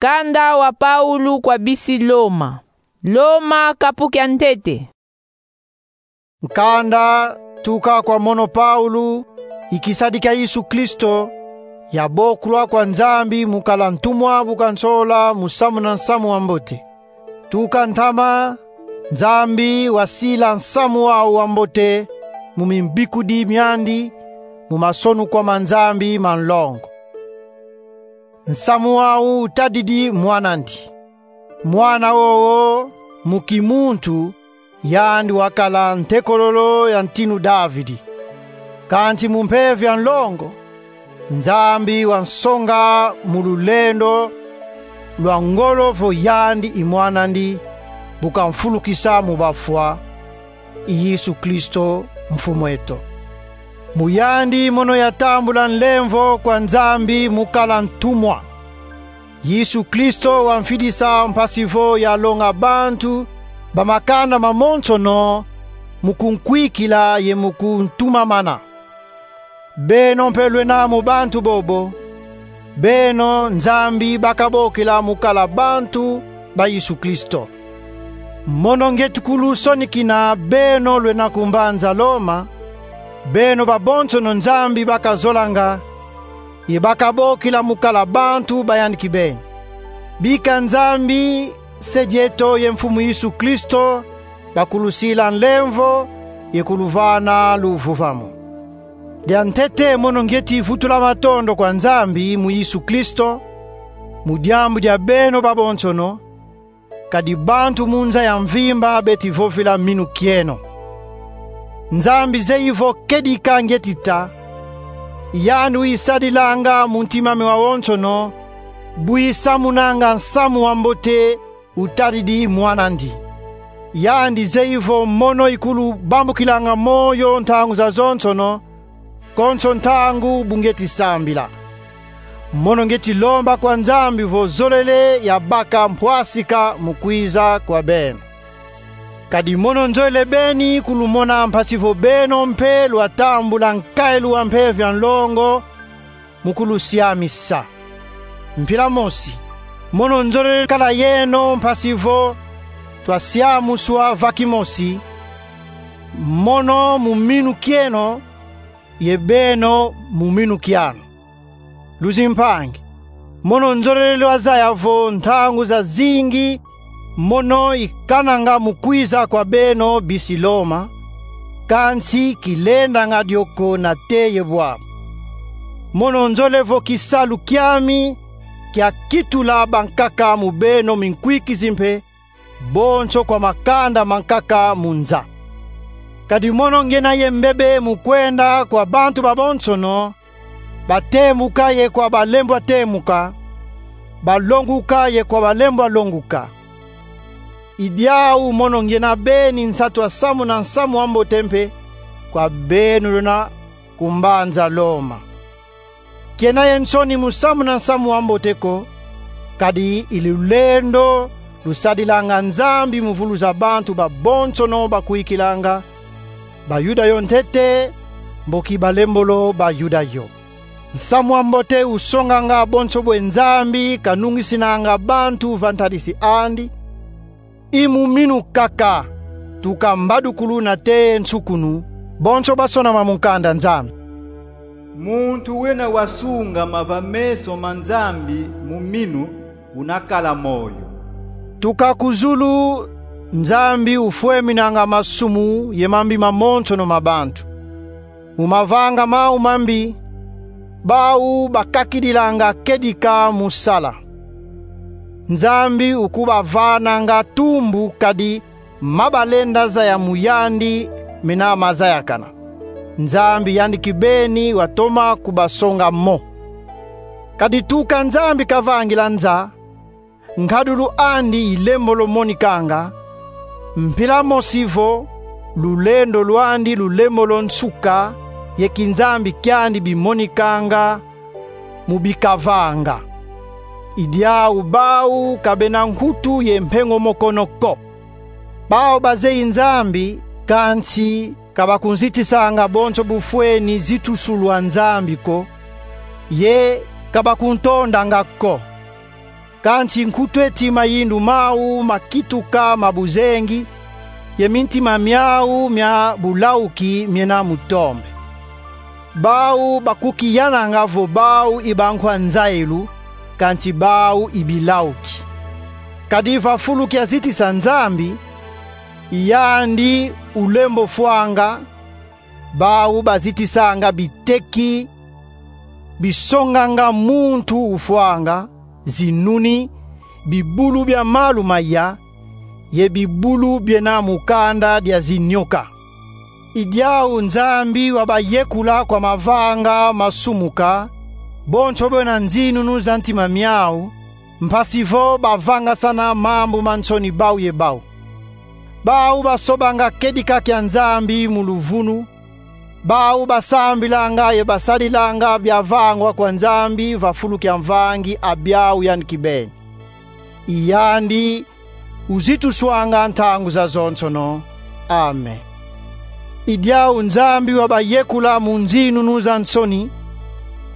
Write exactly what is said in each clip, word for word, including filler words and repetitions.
Nkanda wa Paulu kwa bisi Loma. Loma, kapu kia ntete. Nkanda tuka kwa mono Paulu, i kisadi kia Yesu Kristo, yabokulwa kwa Nzambi mu kala ntumwa bu kansola musamu na nsamu wa mbote. Tuka ntama, Nzambi wasila nsamu wau wa mbote mu mimbikudi miandi, mu masonukwa ma Nzambi ma nlongo. Nsamu wau utadidi Mwanandi. Mwana wowo, mu kimuntu, yandi wakala ntekololo ya ntinu Davidi. Kansi mu mpeve ya nlongo, Nzambi wansonga mu lulendo lwa ngolo vo yandi i Mwanandi, bu kamfulukisa mu bafwa, i Yesu Kristo, Mfumu eto. Mu yandi mono yatambula nlemvo kwa Nzambi mu kala ntumwa. Yesu Kristo wamfidisa mpasi vo yalonga bantu ba makanda mamonsono mu kunkwikila ye mu kuntumamana. Beno mpe lwena mu bantu bobo. Beno Nzambi bakabokila mu kala bantu ba Yesu Kristo. Mono ngieti kulusonikina beno lwena ku mbanza Loma, beno babonsono Nzambi bakazolanga, ye bakabokila mu kala bantu ba yandi kibeni. Bika Nzambi, Se dieto ye Mfumu Yesu Kristo, bakulusila nlemvo ye kuluvana luvuvamu. Diantete mono ngieti vutula matondo kwa Nzambi mu Yesu Kristo, mu diambu dia beno babonsono, kadi bantu mu nza ya mvimba beti vovila minu kieno. Nzambi zeyi vo kedika ngieti ta, yandi uyisadilanga mu ntima ame wawonsono, bu yisamunanga nsamu wa mbote utadidi Mwanandi. Yandi zeyi vo mono ikulubambukilanga moyo ntangu zazonsono, konso ntangu bu ngieti sambila. Mono ngieti lomba kwa Nzambi vo zolele yabaka mpwasika mu kwiza kwa beno. Kadi mono nzolele beni kulumona mpasi vo beno mpe lwatambula nkayilu wa mpeve ya nlongo mu kulusiamisa. Mpila mosi, mono nzolele kala yeno mpasi vo twasiamuswa va kimosi, mono mu minu kieno, ye beno mu minu kianu. Luzimpangi, mono nzolele lwazaya vo ntangu zazingi mono ikananga mu kwiza kwa beno bisi Loma, kansi kilendanga dio ko nate ye bwabu. Mono nzolele vo kisalu kiami kia kitula bankaka mu beno minkwikizi mpe, bonso kwa makanda mankaka mu nza. Kadi mono ngiena ye mbebe mu kwenda kwa bantu babonsono, batemuka ye kwa balembwa temuka, balonguka ye kwa balembwa longuka. I diau mono ngiena beni nsatu a nsamu na nsamu wa mbote mpe kwa beno lwena ku mbanza Loma. Kiena ye nsoni mu samuna nsamu wa mbote ko, kadi i lulendo lusadilanga Nzambi mu vuluza bantu babonsono bakwikilanga, Bayuda yo ntete, mboki balembolo Bayuda yo. Nsamu wa mbote usonganga bonso bwe Nzambi kanungisinanga bantu va ntadisi andi, i mu minu kaka, tuka mbadukulu nate nsukunu, bonso basonama mu nkanda Nzambi. Muntu wena wasungama va meso ma Nzambi mu minu, unakala moyo. Tuka ku zulu, Nzambi ufweminanga masumu ye mambi mamonsono ma bantu. Mu mavanga mau mambi, bau bakakidilanga kedika mu sala. Nzambi ukubavananga tumbu kadi ma balenda zaya mu yandi mena mazayakana. Nzambi yandi kibeni watoma kubasonga mo. Kadi tuka Nzambi kavangila nza, nkadulu andi i lembolo monikanga, mpila mosi vo lulendo lwandi lulembolo nsuka, ye kinzambi kiandi bimonikanga mu bikavanga. I diau bau ka bena nkutu ye mpengo mokono ko. Bau bazeyi Nzambi, kansi ka bakunzitisanga bonso bufweni zitusu lwa Nzambi ko, ye ka bakuntondanga ko. Kansi nkutu eti mayindu mau makituka ma buzengi, ye mintima miau mia bulauki miena mu tombe. Bau bakukiyananga vo bau i bankwa nzayilu, kansi bau i bilauki. Kadi va fulu kia zitisa Nzambi, i yandi ulembo fwanga, bau bazitisanga biteki bisonganga muntu ufwanga, zinuni, bibulu bia malu maya, ye bibulu biena mu kanda dia zinyoka. I diau Nzambi wabayekula kwa mavanga masumuka bonso bwena nzinunu za ntima miau, mpasi vo bavangasana mambu ma nsoni bau ye bau. Bau basobanga kedika kia Nzambi mu luvunu, bau basambilanga ye basadilanga biavangwa kwa Nzambi va fulu kia Mvangi a biau yandi kibeni. I yandi uzituswanga ntangu zazonsono. Amen. I diau Nzambi wabayekula mu nzinunu za nsoni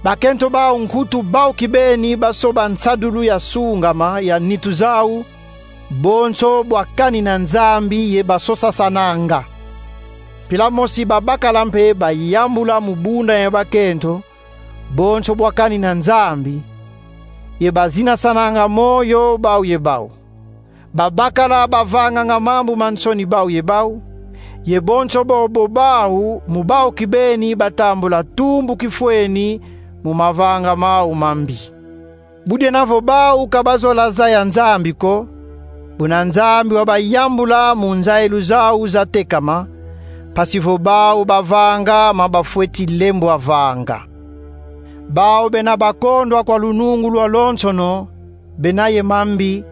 bakento bau nkutu bau kibeni basoba nsadulu ya sungama ya nitu zau, bonso bwa kanina Nzambi ye basosasananga. Mpila mosi babakala mpe bayambula mu bunda ye bakento, bonso bwa kanina Nzambi, ye bazinasananga moyo bau ye bau. Babakala bavanganga mambu ma nsoni bau ye bau, ye bonso bobo bau mu bau kibeni batambula tumbu kifweni mu mavanga mau mambi. Budiena vo bau ka bazola zaya Nzambi ko, buna Nzambi wabayambula mu nzayilu zau zatekama, mpasi vo bau bavanga ma bafweti lembwa vanga. Bau bena bakondwa kwa lunungu lwalonsono, bena ye mambi,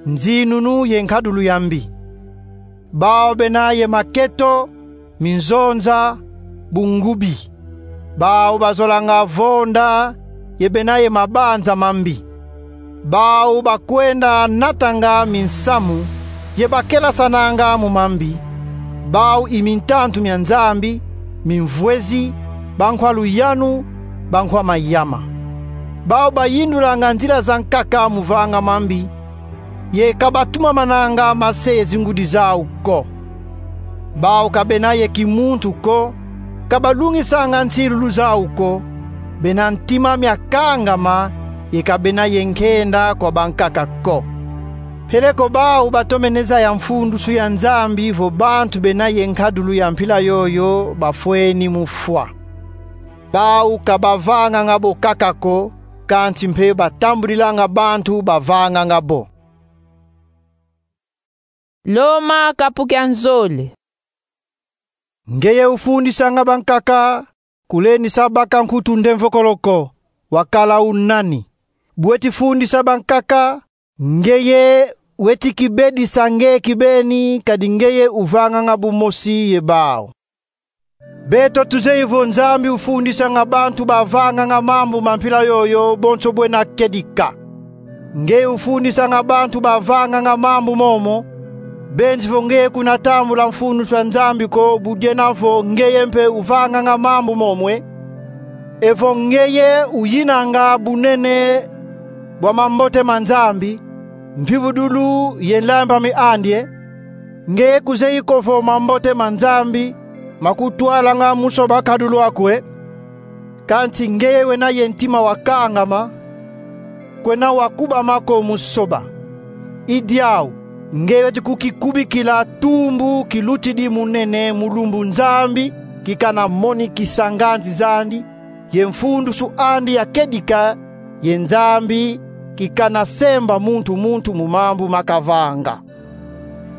nzinunu ye nkadulu ya mbi. Bau bena ye maketo, minzonza, bungubi. Bau bazolanga vonda, ye bena ye mabanza mambi. Bau bakwenda natanga minsamu, ye bakelasananga mu mambi. Bau i mintantu mia Nzambi, mimvwezi, bankwa luyanu, bankwa mayama. Bau bayindulanga nzila za nkaka mu vanga mambi, ye ka batumamananga mase ye zingudi zau ko. Bau ka bena ye kimuntu ko, ka balungisanga nsilulu zau ko, bena ntima mia kangama, ye ka bena ye nkenda kwa bankaka ko. Peleko bau batomene zaya mfundusu ya Nzambi vo bantu bena ye nkadulu ya mpila yoyo bafweni mu fwa. Bau ka bavanganga bo kaka ko, kansi mpe batambudilanga bantu bavanganga bo. Loma kapu kia nzole. Ngeye ufundisanga bankaka kulendisa baka nkutu ndemvokolo ko, wakala u nani? Bu weti fundisa bankaka, ngeye weti kibedisa nge kibeni, kadi ngeye uvanganga bumosi ye bau. Beto tuzeyi vo Nzambi ufundisanga bantu bavanganga mambu ma mpila yoyo bonso bwena kedika. Ngeye ufundisanga bantu bavanganga mambu momo, benzi vo ngeye kuna tambula mfundusu a Nzambi ko, budiena vo ngeye mpe uvanganga mambu momo e. Evo ngeye uyinanga bunene bwa mambote ma Nzambi, mvivudulu ye nlembami andi e, ngeye kuzeyi ko vo mambote ma Nzambi makutwalanga mu soba kadulu aku e? Kansi ngeye wena ye ntima wa kangama, kwena wa kubama ko mu soba. I diau, ngeye weti kukikubikila tumbu kilutidi munene mu lumbu Nzambi kikana monikisa nganzi zandi, ye mfundusu andi ya kedika, ye Nzambi kikana semba muntu muntu mu mambu makavanga.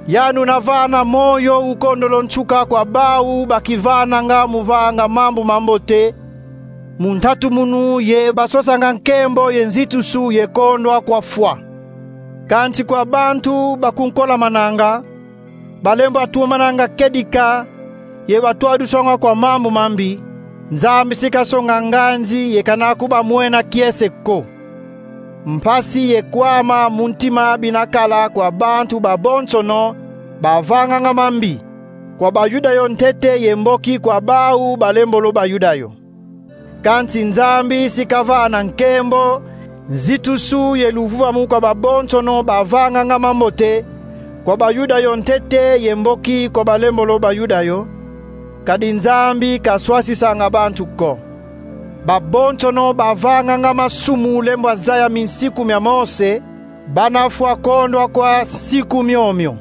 Yandi una vana moyo ukondolo nsuka kwa bau bakivananga mu vanga mambu mambote mu ntatumunu ye basosanga nkembo ye nzitusu ye kondwa kwa fwa. Kansi kwa bantu bakunkolamananga, balembwa tumananga kedika, ye batwaduswanga kwa mambu mambi, Nzambi si kasonga nganzi ye kana kubamwena kiese ko. Mpasi ye kwama mu ntima bina kala kwa bantu babonsono bavanganga mambi, kwa Bayuda yo ntete ye mboki kwa bau balembolo Bayuda yo. Kansi Nzambi si kavana nkembo Nzitusu ye luvuvamu kwa babonsono bavanganga mambote, kwa Bayuda yo ntete ye mboki kwa balembolo Bayuda yo, kadi Nzambi kaswasisanga bantu ko. Babonsono bavanganga masumu lembwa zaya minsiku mia Mose, bana fwa kondwa kwa nsiku miomio.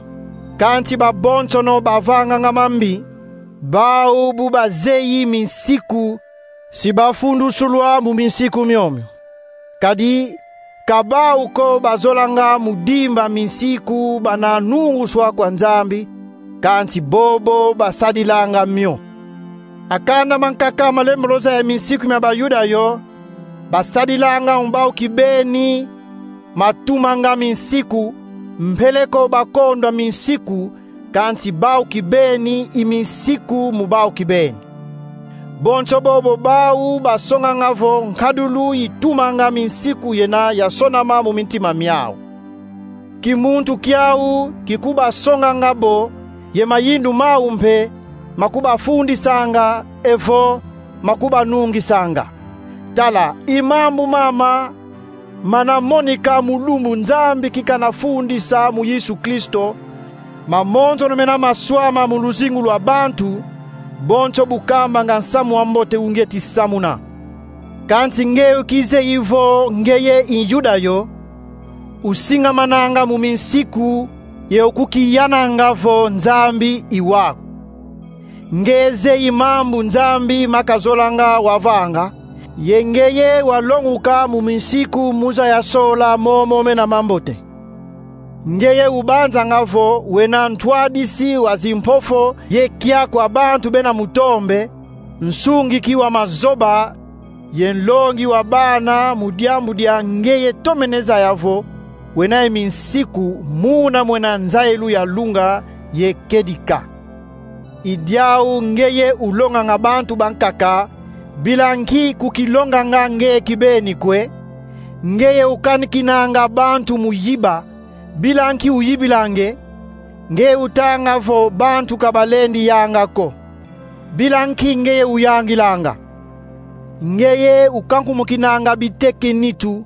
Kansi babonsono bavanganga mambi, bau bu bazeyi minsiku, si bafundusulwa mu minsiku miomio. Kadi ka bau ko bazolanga mu dimba minsiku bana nunguswa kwa Nzambi, kansi bobo basadilanga mio. A kanda mankaka malembolo zaya minsiku mia Bayuda yo, basadilanga mu bau kibeni matumanga minsiku, mpeleko bakondwa minsiku, kansi bau kibeni i minsiku mu bau kibeni. Bonso bobo bau basonganga vo nkadulu itumanga minsiku yena yasonama mu mintima miau. Kimuntu kiau kikubasonganga bo, ye mayindu mau mpe makubafundisanga, evo makubanungisanga. Tala, i mambu mama mana monika mu lumbu Nzambi kikana fundisa mu Yesu Kristo, mamonsono mena maswama mu luzingu lwa bantu, bonso bu kambanga nsamu wa mbote ungieti samuna. Kansi ngeye ukizeyi vo ngeye i Yuda yo, usingamananga mu minsiku, ye ukukiyananga vo Nzambi i waku. Ngeye zeyi mambu Nzambi makazolanga wavanga, ye ngeye walonguka mu minsiku mu zaya sola momo mena mambote. Ngeye ubanzanga vo wena ntwadisi wa zimpofo ye kia kwa bantu bena mutombe, nsungiki wa mazoba, ye nlongi wa bana mu diambu dia ngeye tomene zaya vo wena ye minsiku muna mwena nzayilu ya lunga ye kedika. I diau ngeye ulonganga bantu bankaka, bila nki kukilonganga ngeye kibeni kwe. Ngeye ukanikinanga bantu mu yiba, bila nki uyibilanga e. Ngeye utanga vo bantu ka balendi yanga ko, bila nki ngeye uyangilanga. Ngeye ukankumukinanga biteke nitu,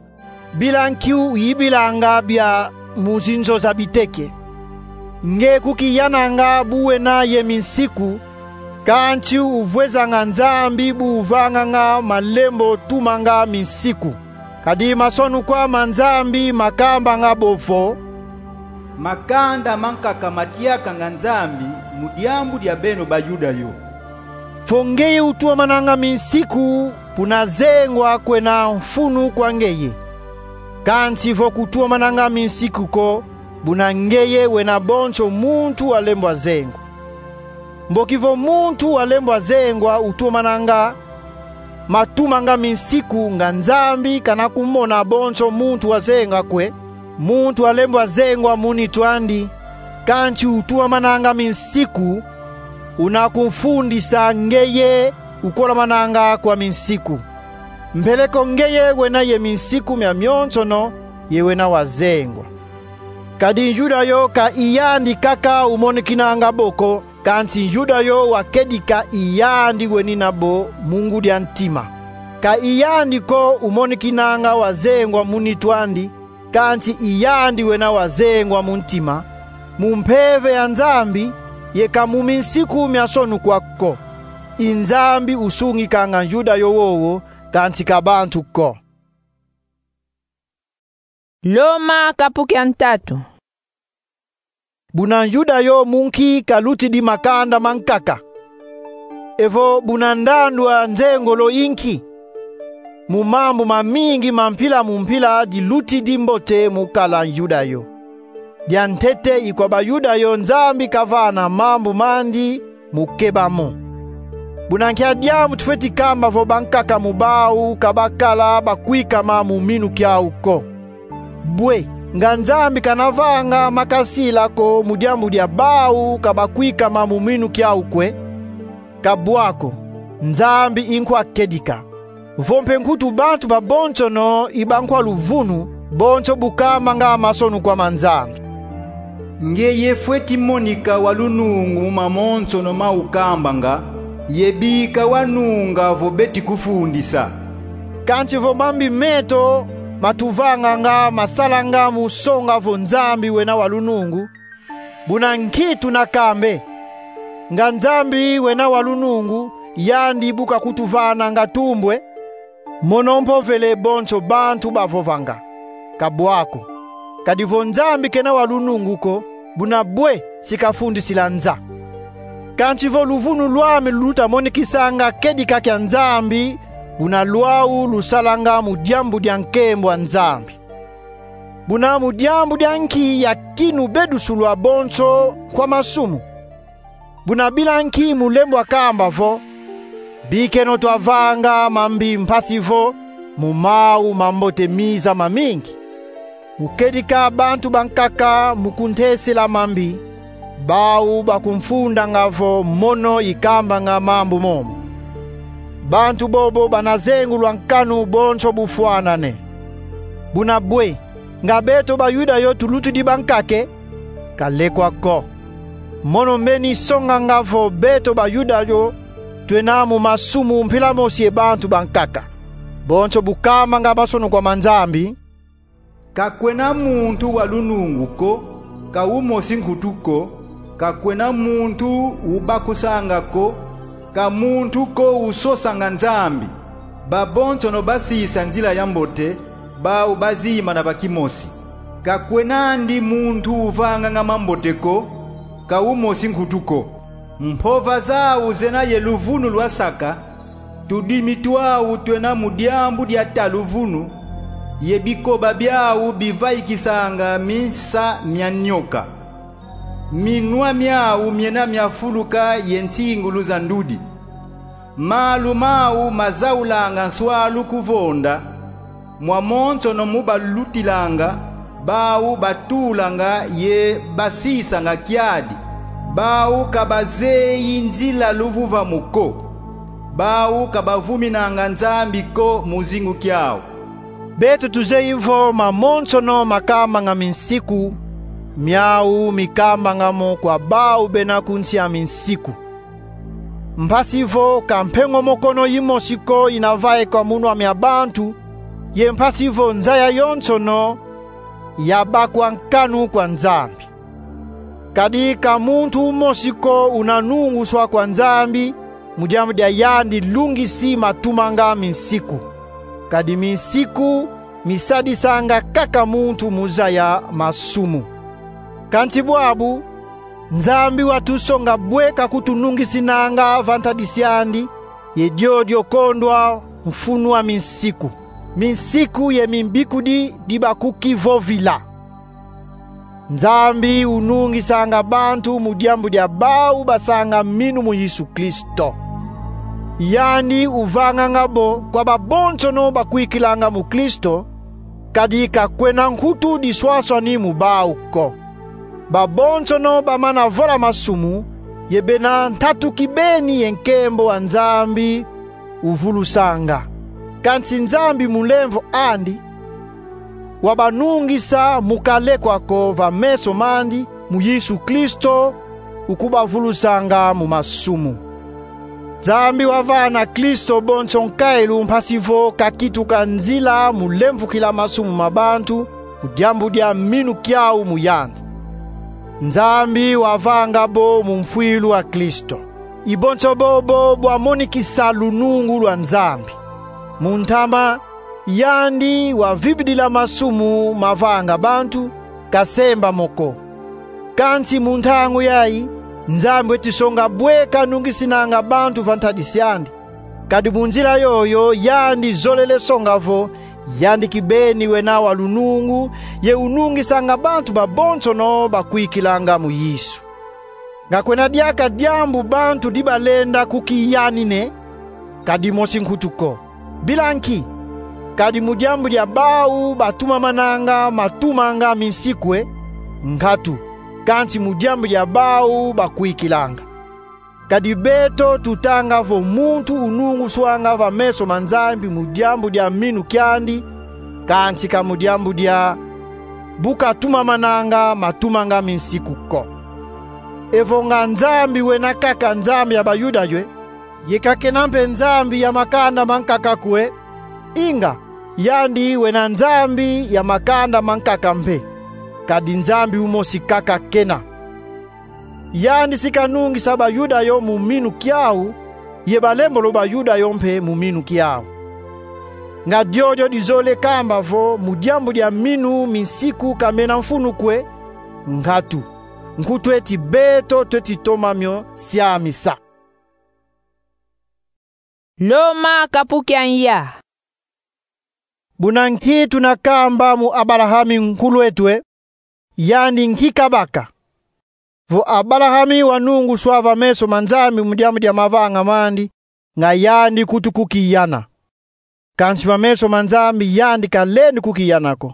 bila nki uyibilanga bia mu zinzo za biteke. Ngeye kukiyananga bu wena ye minsiku, kansi uvwezanga Nzambi bu uvanganga malembo tumanga minsiku. Kadi masonukwa ma Nzambi makambanga bo vo: Makanda mankaka matiakanga Nzambi mu diambu dia beno Bayuda yo. Vo ngeye utuamananga minsiku, buna zengwa kwena mfunu kwa ngeye. Kansi vo kutuamananga minsiku ko, buna ngeye wena bonso muntu walembwa zengwa. Mboki vo muntu walembwa zengwa utuamananga matumanga minsiku, nga Nzambi kana kumona bonso muntu wazengwa kwe. Muntu walembwa zengwa mu nitu andi, kansi utuamananga minsiku, una kumfundisa ngeye ukolamananga kwa minsiku. Mpeleko ngeye wena ye minsiku mia mionsono, ye wena wazengwa. Kadi Yuda yo ka i yandi kaka umonikinanga bo ko, kansi Yuda yo wa kedika i yandi wenina bo mu ngudi a ntima. Ka i yandi ko umonikinanga wazengwa mu nitu andi, kansi i yandi wena wazengwa mu ntima, mu mpeve ya Nzambi, ye ka mu minsiku mia sonukwa ko. I Nzambi usungikanga Yuda yo wowo, kansi ka bantu ko. Loma kapu kia ntatu. Buna Yuda yo mu nki kalutidi makanda mankaka? Evo buna ndandu a nzengolo i nki? Mu mambu mamingi ma mpila mu mpila dilutidi mbote mu kala Yuda yo. Diantete i kwa Bayuda yo Nzambi kavana mambu mandi mu keba mo. Buna nkia diambu tufweti kamba vo bankaka mu bau ka bakala bakwikama mu minu kiau ko? Bwe, nga Nzambi kana vanga makasila ko mu diambu dia bau ka bakwikama mu minu kiau kwe? Ka bwa ko, Nzambi i nkwa kedika. Vo mpe nkutu bantu babonsono i bankwa luvunu, bonso bu kambanga masonukwa ma Nzambi. Ngeye fweti monika wa lunungu mu mamonsono ma ukambanga, ye bika wanunga vo beti kufundisa. Kansi vo mambi meto matuvanganga masalanga mu songa vo Nzambi wena wa lunungu. Buna nki tuna kambe? Nga Nzambi wena wa lunungu, yandi bu kakutuvananga tumbu e? Mono mpovele bonso bantu bavovanga. Ka bwa ko. Kadi vo Nzambi kena wa lunungu ko, buna bwe si kafundisila nza? Kansi vo luvunu lwami lutamonikisanga kedika kia Nzambi, buna lwau lusalanga mu diambu dia nkembo a Nzambi. Buna mu diambu dia nki yakinu bedusulwa bonso kwa masumu? Buna bila nki mu lembwa kamba vo: Bikeno twavanga mambi, mpasi vo mu mau mambote miza mamingi? Mu kedika bantu bankaka mu kuntesela mambi, bau bakumfundanga vo mono ikambanga mambu momo. Bantu bobo bana zengulwa nkanu bonso bufwanane. Buna bwe, nga beto Bayuda yo tulutidi bankaka e? Ka lekwa ko. Mono mbeni songanga vo beto Bayuda yo twena mu masumu mpila mosi ye bantu bankaka. Bonso bu kamanga masonuku ma Nzambi: Ka kwena muntu wa lunungu ko, ka umosi nkutu ko, ka kwena muntu ubakusanga ko, ka muntu ko usosanga Nzambi. Babonsono basisa nzila ya mbote, bau bazimbana ba kimosi. Ka kwena andi muntu uvanganga mambote ko, ka umosi nkutu ko. Mpova zau zena ye luvunu lwasaka, tudimi twau twena mu diambu dia ta luvunu, ye bikoba biau bivaikisanga minsa mia nyoka. Minwa miau miena mia fuluka ye nsingulu za ndudi. Malu mau mazaulanga nswalu kuvonda. Mwamonsono mu balutilanga, bau batulanga ye basisanga kiadi. Bau ka bazeyi nzila luvuvamu ko. Bau ka bavuminanga Nzambi ko mu zingu kiau. Beto tuzeyi vo mamonsono makambanga minsiku, miau mikambanga mo kwa bau bena ku nsi a minsiku. Mpasi vo ka mpengo mokono yimosi ko ina vaikwa mu nwa mia bantu, ye mpasi vo nza yayonsono yabakwa nkanu kwa Nzambi. Kadi ka muntu umosi ko una nunguswa kwa Nzambi mu diambu dia yandi lungisi matumanga minsiku. Kadi minsiku misadisanga kaka muntu mu zaya masumu. Kansi bwabu, Nzambi watusonga bwe kakutunungisinanga va ntadisi andi, ye diodio kondwa mfunu a minsiku. Minsiku ye mimbikudi di bakukivovila. Nzambi unungisanga bantu mu diambu dia bau basanga minu mu Yesu Kristo. Yandi uvanganga bo kwa babonsono bakwikilanga mu Kristo, kadi ka kwena nkutu diswaswani mu bau ko. Babonsono bamana vola masumu, ye bena ntatu kibeni ye nkembo a Nzambi uvulusanga. Kansi Nzambi mu nlemvo andi, wabanungisa mu kalekwa ko va meso mandi mu Yesu Kristo, ukubavulusanga mu masumu. Nzambi wavana Kristo bonso nkailu mpasi vo kakituka nzila mu lemvukila masumu ma bantu, mu diambu dia minu kiau mu yandi. Nzambi wavanga bo mu mfwilu a Kristo. I bonso bobo bwamonikisa lunungu lwa Nzambi. Mu ntama, yandi wavibidila masumu mavanga bantu, kasemba mo ko. Kansi mu ntangu yayi, Nzambi weti songa bwe kanungisinanga bantu va ntadisi andi. Kadi mu nzila yoyo yandi zolele songa vo yandi kibeni wena wa lunungu, ye unungisanga bantu babonsono bakwikilanga mu Yesu. Nga kwena diaka diambu bantu di balenda kukiyanina e? Ka dimosi nkutu ko. Bila nki? Kadi mu diambu dia bau batumamananga matumanga minsiku e? Nkatu, kansi mu diambu dia bau bakwikilanga. Kadi beto tutanga vo muntu ununguswanga va meso ma Nzambi mu diambu dia minu kiandi, kansi ka mu diambu dia bu katumamananga matumanga minsiku ko. Evo nga Nzambi wena kaka Nzambi ya Bayuda yo e? Ye ka kena mpe Nzambi ya makanda mankaka ko e? Inga, Yandi wena Nzambi ya makanda mankaka mpe, kadi Nzambi umosi kaka kena. Yandi si kanungisa Bayuda yo mu minu kiau, ye balembolo Bayuda yo mpe mu minu kiau. Nga diodio dizolele kamba vo mu diambu dia minu minsiku ka mena mfunu kwe? Nkatu. Nkutu eti beto tweti toma mio siamisa. Loma kapu kia nya. Buna nki tuna kamba mu Abalahami nkulu eto e? Yandi nki kabaka? Vo Abalahami wanunguswa va meso ma Nzambi mu diambu dia mavanga mandi, nga yandi nkutu kukiyana. Kansi va meso ma Nzambi yandi kalendi kukiyana ko.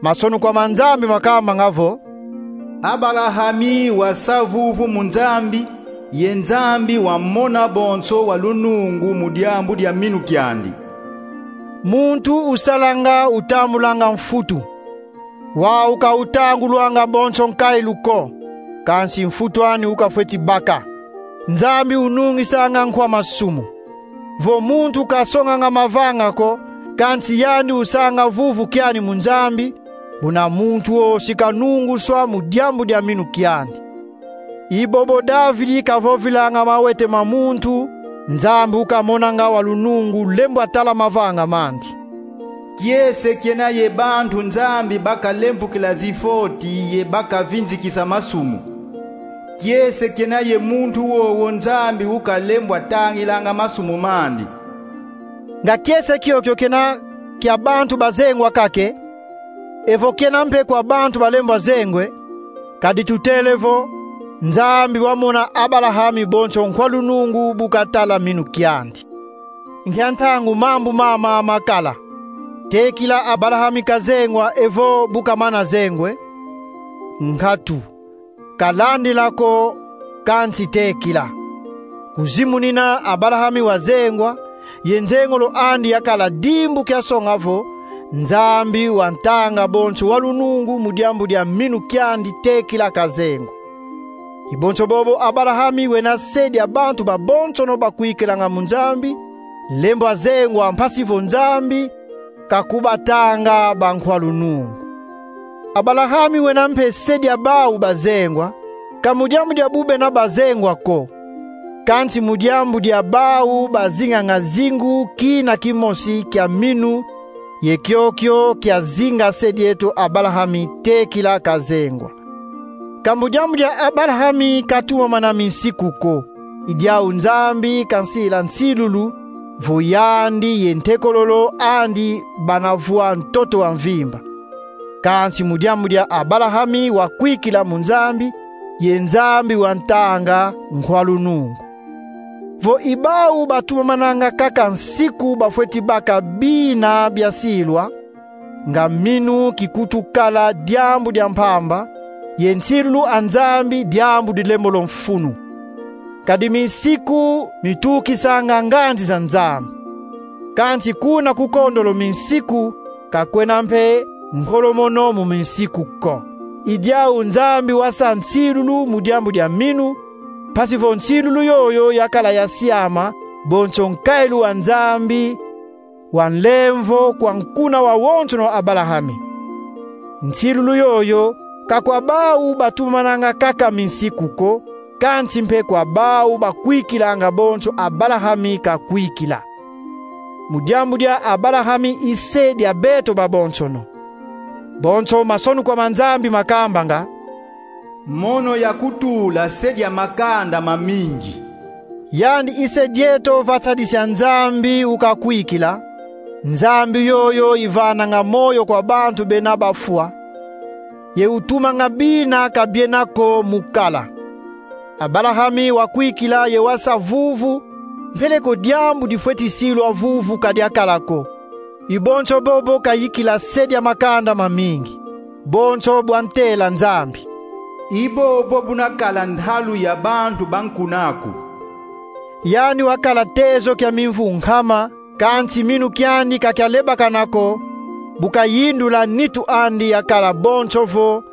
Masonukwa ma Nzambi makambanga vo: Abalahami wasa vuvu mu Nzambi, ye Nzambi wamona bonso wa lunungu mu diambu dia minu kiandi. Muntu usalanga utambulanga mfutu. Wau ka utangulwanga bonso nkailu ko, kansi mfutu ani ukafweti baka. Nzambi unungisanga nkwa masumu. Vo muntu kasonganga mavanga ko, kansi yandi usanga vuvu kiani mu Nzambi, buna muntu wo si kanunguswa mu diambu dia minu kiandi. I bobo Davidi kavovilanga mawete ma muntu, Nzambi ukamonanga wa lunungu lembwa tala mavanga mandi. Kiese kiena ye bantu Nzambi bakalemvukila zifoti ye bakavinzikisa masumu. Kiese kiena ye muntu wowo Nzambi ukalembwa tangilanga masumu mandi. Nga kiese kiokio kiena kia bantu bazengwa kaka e? Evo kiena mpe kwa bantu balembwa zengwa e, kadi tutele vo Nzambi wamona Abalahami bonso nkwa lunungu bu katala minu kiandi. Nkia ntangu mambu mama makala? Tekila Abalahami kazengwa evo bu kamana zengwa e? Nkatu. Kalandila ko, kansi tekila. Kuzimunina Abalahami wazengwa, ye nzengolo andi yakala dimbu kia songa vo Nzambi wantanga bonso wa lunungu mu diambu dia minu kiandi tekila kazengwa. I bonso bobo Abalahami wena se dia bantu babonsono bakwikilanga mu Nzambi, lembwa zengwa mpasi vo Nzambi kakubatanga bankwa lunungu. Abalahami wena mpe se dia bau bazengwa, ka mu diambu dia bu bena bazengwa ko, kansi mu diambu dia bau bazinganga zingu kina kimosi kia minu, ye kiokio kiazinga se dieto Abalahami tekila kazengwa. Ka mu diambu dia Abalahami katumamana minsiku ko, i diau Nzambi kansila nsilulu, vo yandi ye ntekololo andi bana vwa ntoto wa mvimba. Kansi mu diambu dia Abalahami wakwikila mu Nzambi, ye Nzambi wantanga nkwa lunungu. Vo i bau batumamananga kaka nsiku bafweti baka bina biasilwa, nga minu kikutu kala diambu dia mpamba, ye nsilulu a Nzambi diambu dilembolo mfunu. Kadi minsiku mitukisanga nganzi za Nzambi. Kansi kuna ku kondolo minsiku, ka kwena mpe nkolomono mu minsiku ko. I diau Nzambi wasa nsilulu mu diambu dia minu, mpasi vo nsilulu yoyo yakala yasiama bonso nkailu wa Nzambi wa nlemvo kwa nkuna wawonsono Abalahami. Nsilulu yoyo ka kwa bau batumamananga kaka minsiku ko, kansi mpe kwa bau bakwikilanga bonso Abalahami kakwikila. Mu diambu dia Abalahami i se dia beto babonsono. Bonso masonukwa ma Nzambi makambanga: Mono yakutula se dia makanda mamingi. Yandi i se dieto vata disi a Nzambi ukakwikila, Nzambi yoyo ivananga moyo kwa bantu bena bafwa, ye utumanga bina ka biena ko mu kala. Abalahami wakwikila ye wasa vuvu, mpeleko diambu difweti silwa vuvu ka diakala ko. I bonso bobo kayikila se dia makanda mamingi, bonso bwa ntela Nzambi. I bobo buna kala ntalu ya bantu ba nkuna aku. Yandi wakala tezo kia mimvu nkama, kansi minu kiandi ka kialebakana ko, bu kayindula nitu andi yakala bonso vo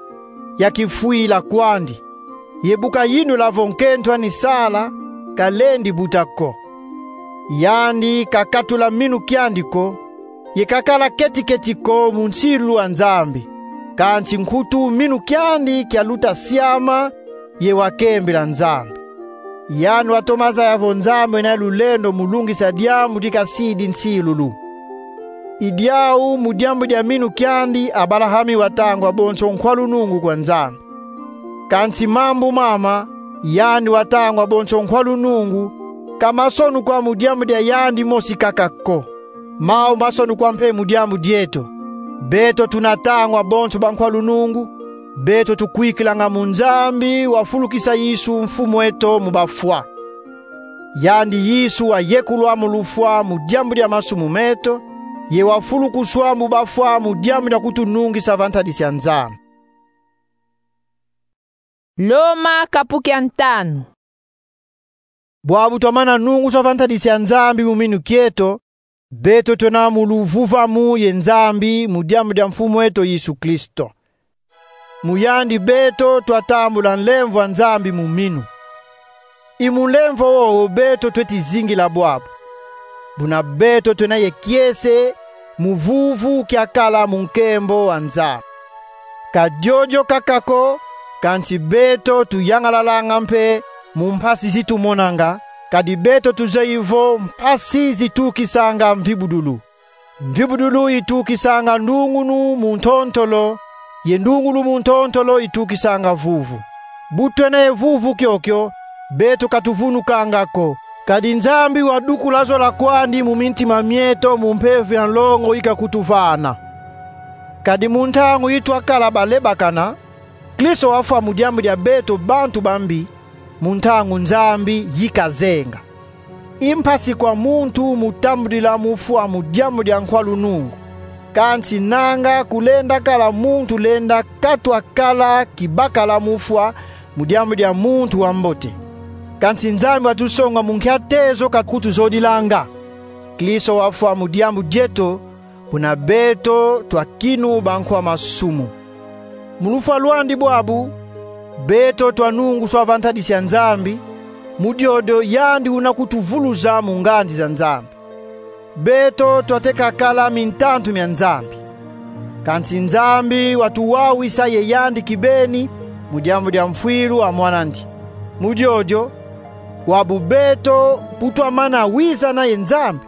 ya kifwila kwandi. Ye bu kayindula vo nkento ani sala, kalendi buta ko. Yandi kakatula minu kiandi ko, ye kakala keti-keti ko mu nsilulu a Nzambi, kansi nkutu minu kiandi kialuta siama ye wakembila Nzambi. Yandi watoma zaya vo Nzambi wena ye lulendo mu lungisa diambu dikasidi nsilulu. I diau mu diambu dia minu kiandi Abalahami watangwa bonso nkwa lunungu kwa Nzambi. Kansi mambu mama, yandi watangwa bonso nkwa lunungu, ka masonukwa mu diambu dia yandi mosi kaka ko. Mau masonukwa mpe mu diambu dieto. Beto tuna tangwa bonso bankwa lunungu, beto tukwikilanga mu Nzambi wafulukisa Yesu Mfumu eto mu bafwa. Yandi Yesu wayekulwa mu lufwa mu diambu dia masumu meto, ye wafulukuswa mu bafwa mu diambu dia kutunungisa va ntadisi a Nzambi. Loma kapu kia ntanu. Bwabu twamana nunguswa va ntadisi a Nzambi mu minu kieto, beto twena mu luvuvamu ye Nzambi mu diambu dia Mfumu eto Yesu Kristo. Mu yandi beto twatambula nlemvo a Nzambi mu minu. I mu nlemvo wowo beto tweti zingila bwabu. Buna beto twena ye kiese mu vuvu kiakala mu nkembo a Nzambi. Ka diodio kaka ko, kansi beto tuyangalalanga mpe mu mpasi zi tumonanga, kadi beto tuzeyi vo mpasi zitukisanga mvibudulu. Mvibudulu itukisanga ndungunu mu ntontolo, ye ndungunu mu ntontolo itukisanga vuvu. Bu twena ye vuvu kiokio, beto ka tuvunukanga ko, kadi Nzambi wadukula zola kwandi mu mintima mieto mu mpeve ya nlongo ikakutuvana. Kadi mu ntangu yi twakala balebakana, Kristo wafwa mu diambu dia beto bantu bambi, mu ntangu Nzambi yi kazenga. I mpasi kwa muntu mu tambudila mu fwa mu diambu dia nkwa lunungu. Kansi nanga kulenda kala muntu lenda katwa kala kibakala mu fwa mu diambu dia muntu wa mbote. Kansi Nzambi watusonga mu nkia tezo kakutuzodilanga? Kristo wafwa mu diambu dieto, buna beto twakinu bankwa masumu. Mu lufwa lwandi bwabu, beto twanunguswa va ntadisi a Nzambi, mu diodio yandi una kutuvuluza mu nganzi za Nzambi. Beto twateka kala mintantu mia Nzambi. Kansi Nzambi watuwawisa ye yandi kibeni mu diambu dia mfwilu a Mwanandi. Mu diodio, bwabu beto bu twamana wizana ye Nzambi,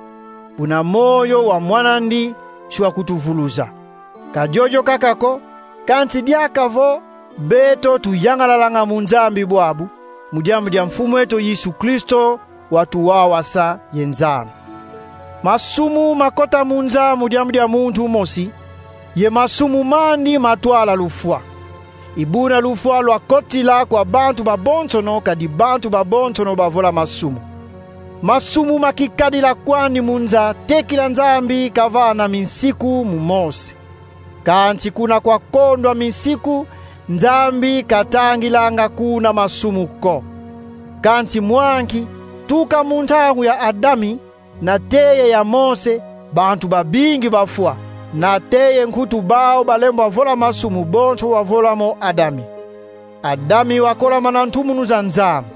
buna moyo wa Mwanandi si wakutuvuluza. Ka diodio kaka ko, kansi diaka vo beto tuyangalalanga mu Nzambi bwabu, mu diambu dia Mfumu eto Yesu Kristo, watuwawasa ye Nzambi. Masumu makota mu nza mu diambu dia muntu mosi, ye masumu mandi matwala lufwa. I buna lufwa lwakotila kwa bantu babonsono, kadi bantu babonsono bavola masumu. Masumu makikadila kwandi mu nza tekila Nzambi kavana minsiku mu Mose. Kansi kuna kwakondwa minsiku, Nzambi katangilanga kuna masumu ko. Kansi mwa nki, tuka mu ntangu ya Adami, na teye ya Mose, bantu babingi bafwa, na teye nkutu bau balembwa vola masumu bonso wavola mo Adami. Adami wakolamana ntumunu za Nzambi.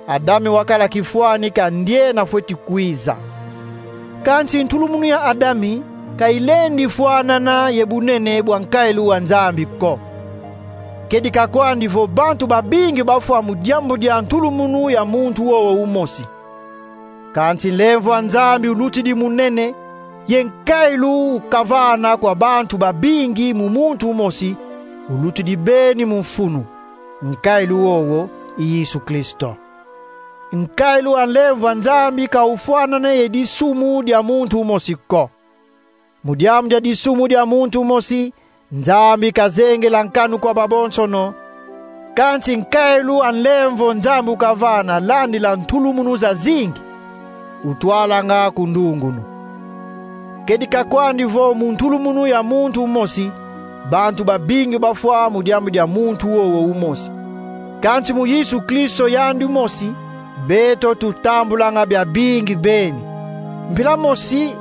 Adami wakala kifwani kia ndiena fweti kwiza. Kansi ntulumunu ya Adami ka ilendi fwanana ye bunene bwa nkailu wa Nzambi ko. Kedika kwandi vo bantu babingi bafwa mu diambu dia ntulumunu ya muntu wowo umosi. Kansi nlemvo a Nzambi ulutidi mu nene, ye nkailu kavana kwa bantu babingi mu muntu umosi, ulutidi beni mu mfunu. Nkailu wowo i Yesu Kristo. Nkailu a nlemvo a Nzambi ka ufwanane ye disumu dia muntu umosi ko. Mu diambu dia disumu dia muntu mosi, Nzambi kazengela nkanu kwa babonsono. Kansi nkailu a nlemvo Nzambi ukavana landila ntulumunu zazingi, utwalanga ku ndungunu. Kedika kwandi vo mu ntulumunu ya muntu umosi, bantu babingi bafwa mu diambu dia muntu wowo umosi. Kansi mu Yesu Kristo yandi mosi, beto tutambulanga biabingi beni. Mpila mosi,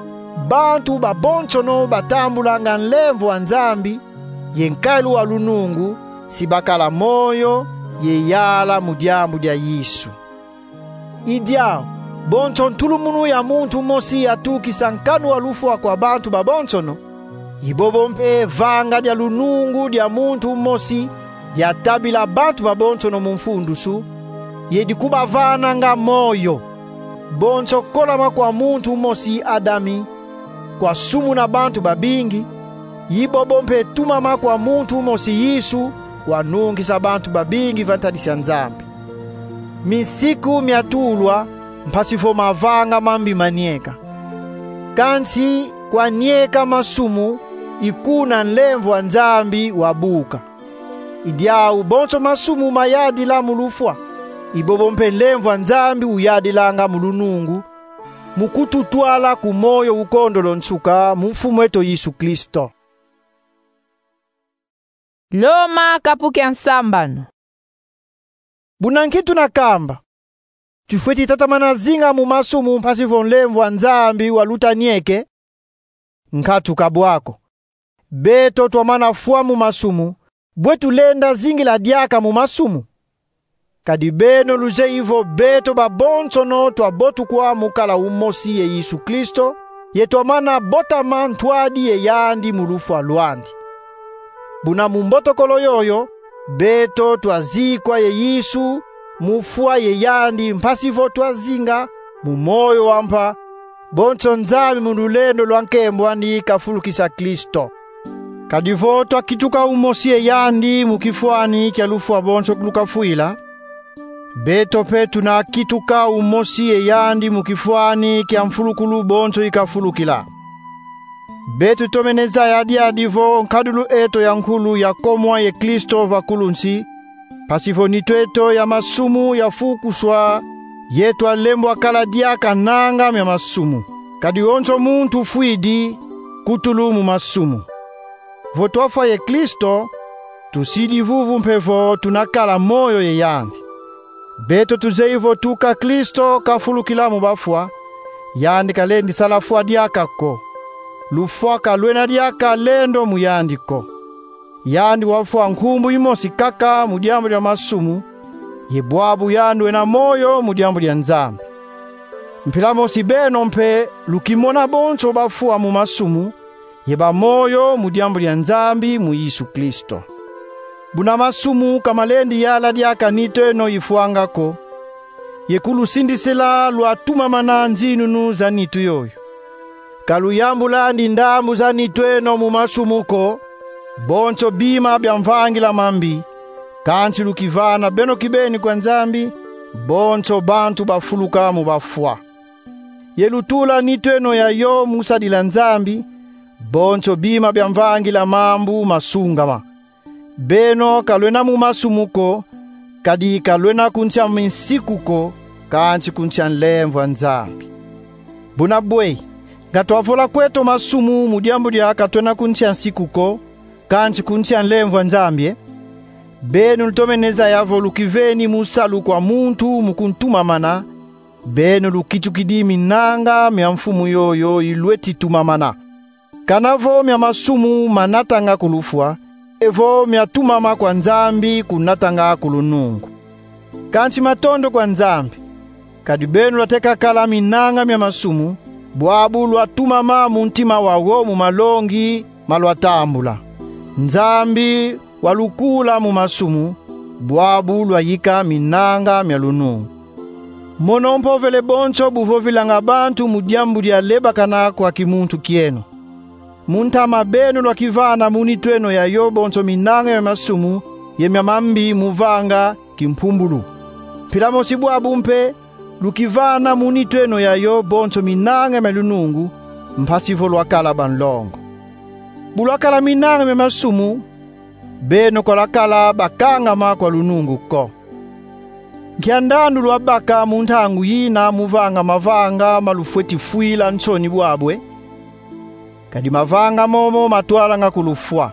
bantu babonsono batambulanga nlemvo a Nzambi, ye nkailu wa lunungu, si bakala moyo ye yala mu diambu dia Yesu. I diau, Bonso ntulumunu ya muntu mosi yatukisa nkanu wa lufwa kwa bantu babonsono, i bobo mpe vanga dia lunungu dia muntu mosi diatabila bantu babonsono mu mfundusu, ye dikubavananga moyo. Bonso kolama kwa muntu mosi Adami kwa sumu na bantu babingi, i bobo mpe tumama kwa muntu mosi Yesu kwa nungisa bantu babingi va ntadisi ya Nzambi. Minsiku miatulwa mpasi vo mavanga mambi manieka. Kansi kwa nieka masumu i kuna nlemvo a Nzambi wabuka. I diau bonso masumu mayadila mu lufwa, i bobo mpe nlemvo a Nzambi uyadilanga mu lunungu, mu kututwala ku moyo ukondolo nsuka mu Mfumu eto Yesu Kristo. Loma kapu kia nsambanu. Buna nki tuna kamba? Tufweti tatamana zinga mu masumu mpasi vo nlemvo a Nzambi waluta nieke? Nkatu ka bwa ko. Beto twamana fwa mu masumu, bwe tulenda zingila diaka mu masumu? Kadi beno luzeyi vo beto babonsono twabotukwa mu kala umosi ye Yesu Kristo, ye twamana botama ntwadi ye yandi mu lufwa lwandi. Buna mu mbotokolo yoyo, beto twazikwa ye Yesu mu fwa ye yandi mpasi vo twazinga mu moyo wa mpa, bonso Nzambi mu lulendo lwa nkembo andi kafulukisa Kristo. Kadi vo twakituka umosi ye yandi mu kifwani kia lufwa bonso lukafwila, beto mpe tuna kituka umosi ye yandi mu kifwani kia mfulukulu bonso ikafulukila. Beto tomene zaya diadi vo nkadulu eto ya nkulu yakomwa ye Kristo va kulu nsi, mpasi vo nitu eto ya masumu yafukuswa, ye twalembwa kala diaka nanga mia masumu. Kadi wonso muntu fwidi kutulu mu masumu. Vo twafwa ye Kristo, tusidi vuvu mpe vo tuna kala moyo ye yandi. Beto tuzeyi vo tuka Kristo kafulukila mu bafwa, yandi kalendi sala fwa diaka ko. Lufwa ka lwena diaka lendo mu yandi ko. Yandi wafwa nkumbu imosi kaka mu diambu dia masumu, ye bwabu yandi wena moyo mu diambu dia Nzambi. Mpila mosi beno mpe lukimona bonso bafwa mu masumu, ye ba moyo mu diambu dia Nzambi mu Yesu Kristo. Buna masumu ka malendi yala diaka nitu eno ifwanga ko, ye kulusindisila lwatumamana nzinunu za nitu yoyo. Ka luyambulandi ndambu za nitu eno mu masumu ko, bonso bima bia mvangila mambi, kansi lukivana beno kibeni kwa Nzambi, bonso bantu bafuluka mu bafwa. Ye lutula nitu eno yayo mu sadila Nzambi, bonso bima bia mvangila mambu masungama. Beno ka lwena mu masumu ko, kadi ka lwena ku nsi a minsiku ko, kansi ku nsi a nlemvo a Nzambi. Buna bwe, nga twavola kweto masumu mu diambu dia ka twena ku nsi a nsiku ko, kansi ku nsi a nlemvo a Nzambi, e? Beno lutomene zaya vo lukiveni mu salu kwa muntu mu kuntumamana, beno lukitukidi minanga mia mfumu yoyo ilweti tumamana. Kana vo mia masumu manatanga ku lufwa, evo mia tumama kwa Nzambi kunatanga ku lunungu. Kansi matondo kwa Nzambi, kadi beno lwateka kala minanga mia masumu, bwabu lwatumama mu ntima wau mu malongi malwatambula. Nzambi walukula mu masumu, bwabu lwayika minanga mia lunungu. Mono mpovele bonso buvovilanga bantu mu diambu dia lebakana kwa kimuntu kieno. Mu ntama beno lwakivana mu nitu eno yayo bonso minanga mia masumu ye mia mambi mu vanga kimpumbulu. Mpila mosi bwabu mpe, lukivana mu nitu eno yayo bonso minanga mia lunungu, mpasi vo lwakala banlongo. Bu lwakala minanga mia masumu, beno ka lwakala bakangama kwa lunungu ko. Nkia ndandu lwabaka mu ntangu yina mu vanga mavanga ma lufweti fwila nsoni bwabu, e? Kadi mavanga momo matwalanga ku lufwa.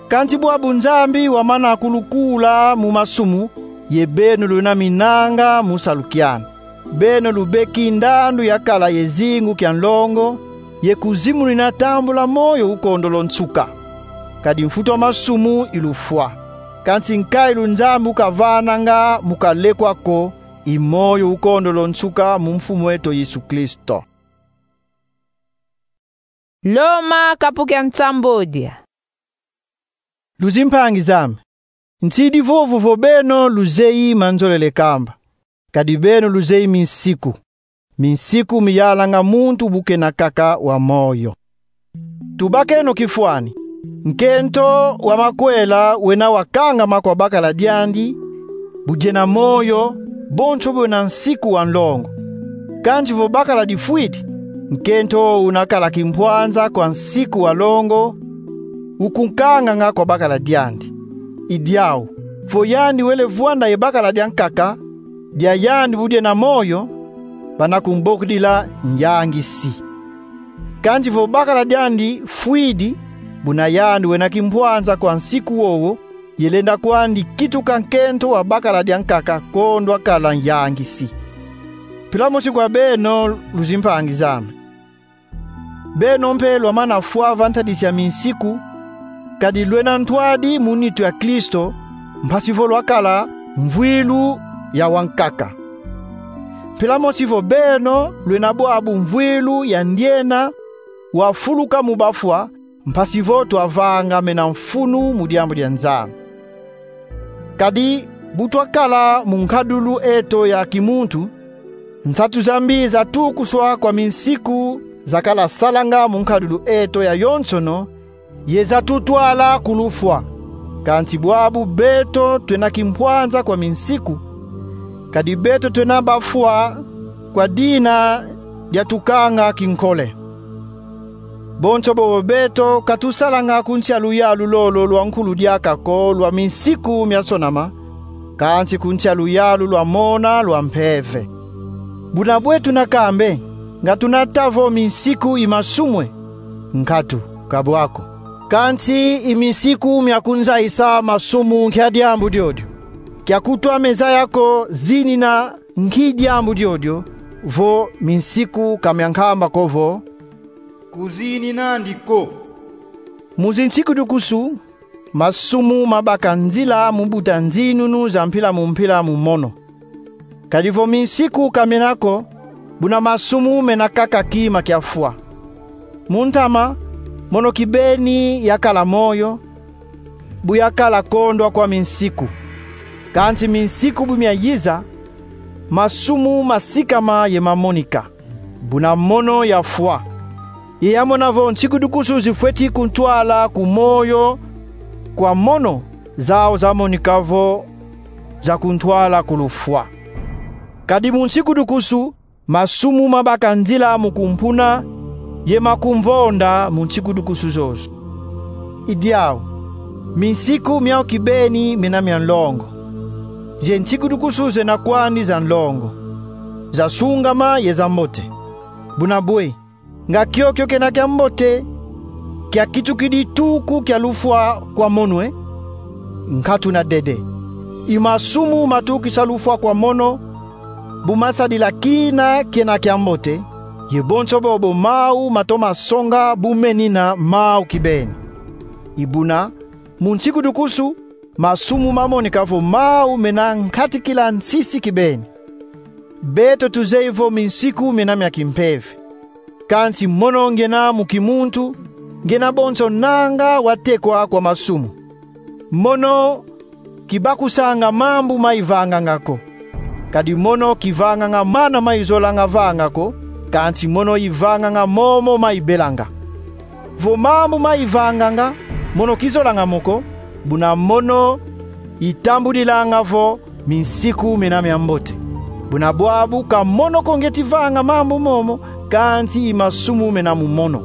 Kansi bwabu Nzambi wamana kulukula mu masumu, ye beno lwena minanga mu salu kiandi. Beno lubeki ndandu ya kala ye zingu kia nlongo, ye kuzimunina tambula moyo ukondolo nsuka. Kadi mfutu a masumu i lufwa. Kansi nkailu Nzambi ukavananga mu kalekwa ko, i moyo ukondolo nsuka mu Mfumu eto Yesu Kristo. Loma, kapu kia nsambodia. Luzimpangi zame, nsidi vovo vo beno luzeyi manzolele kamba, kadi beno luzeyi minsiku, minsiku miyalanga muntu bu kena kaka wa moyo. Tubakeno kifwani: nkento wa makwela wena wakangama kwa bakala diandi, bu diena moyo, bonso bwena nsiku wa nlongo. Kansi vo bakala difwidi, nkento wo una kala kimpwanza kwa nsiku wa longo, ukunkanganga kwa bakala diandi. I diau, vo yandi wele vwanda ye bakala diankaka, dia yandi bu diena moyo, bana kumbokudila nyangisi. Kansi vo bakala diandi fwidi, buna yandi wena kimpwanza kwa nsiku wowo, ye lenda kwandi kituka nkento wa bakala diankaka kondwa kala nyangisi. Mpila mosi kwa beno, luzimpangi zame. Beno mpe lwamana fwa va ntadisi ya minsiku, kadi lwena ntwadi mu nitu ya Kristo, mpasi vo lwakala mvwilu ya wankaka. Mpila mosi vo beno lwena bwabu mvwilu ya ndiena wafuluka mu bafwa, mpasi vo twavangamena mfunu mu diambu dia Nzambi. Kadi bu twakala mu nkadulu eto ya kimuntu, nsatu za mbi zatukuswa kwa minsiku zakala salanga mu nkadulu eto ya yonsono, ye zatutwala ku lufwa. Kansi bwabu beto twena kimpwanza kwa minsiku, kadi beto twena bafwa kwa dina dia tukanga kinkole. Bonso bobo beto ka tusalanga ku nsi a luyalu lolo lwa nkulu diaka ko lwa minsiku miasonama, kansi ku nsi a luyalu lwa mona lwa mpeve. Buna bwe tuna kambe, nga tuna ta vo minsiku i masumu e? Nkatu, ka bwa ko. Kansi i minsiku mia kunzayisa masumu nkia diambu diodio? Kia kutwa me zaya ko zinina nki diambu diodio, vo minsiku ka mia nkamba ko vo: Kuzinina andi ko. Mu zinsiku dukusu, masumu mabaka nzila mu buta nzinunu za mpila mu mpila mu mono. Kadi vo minsiku ka miena ko, buna masumu mena kaka kima kia fwa. Mu ntama, mono kibeni yakala moyo, bu yakala kondwa kwa minsiku. Kansi minsiku bu miayiza, masumu masikama ye mamonika, buna mono yafwa. Ye yamona vo nsiku dukusu zifweti kuntwala ku moyo kwa mono, zau zamonika vo za kuntwala ku lufwa. Kadi mu nsiku dukusu, masumu mabaka nzila mu kumpuna, ye makumvonda mu nsiku dukusu zozo. I diau, minsiku miau kibeni miena mia nlongo. Ze nsiku dukusu zena kwandi za nlongo, zasungama ye zambote. Buna bwe, nga kiokio kena kiambote kiakitukidi tuku kia lufwa kwa mono e? Nkatu na dede. I masumu matukisa lufwa kwa mono, bu masadila kina kiena kiambote, ye bonso bobo mau matoma songa bu menina mau kibeni. I buna, mu nsiku dukusu, masumu mamonika vo mau mena nkatikila nsisi kibeni. Beto tuzeyi vo minsiku miena mia kimpeve. Kansi mono ngiena mu kimuntu, ngiena bonso nanga watekwa kwa masumu. Mono kibakusanga mambu ma ivanganga ko. Kadi mono kivanganga mana ma izolanga vanga ko, kansi mono ivanganga momo ma ibelanga. Vo mambu ma ivanganga mono kizolanga mo ko, buna mono itambudilanga vo minsiku miena miambote. Buna bwabu ka mono ko ngieti vanga mambu momo, kansi i masumu mena mu mono.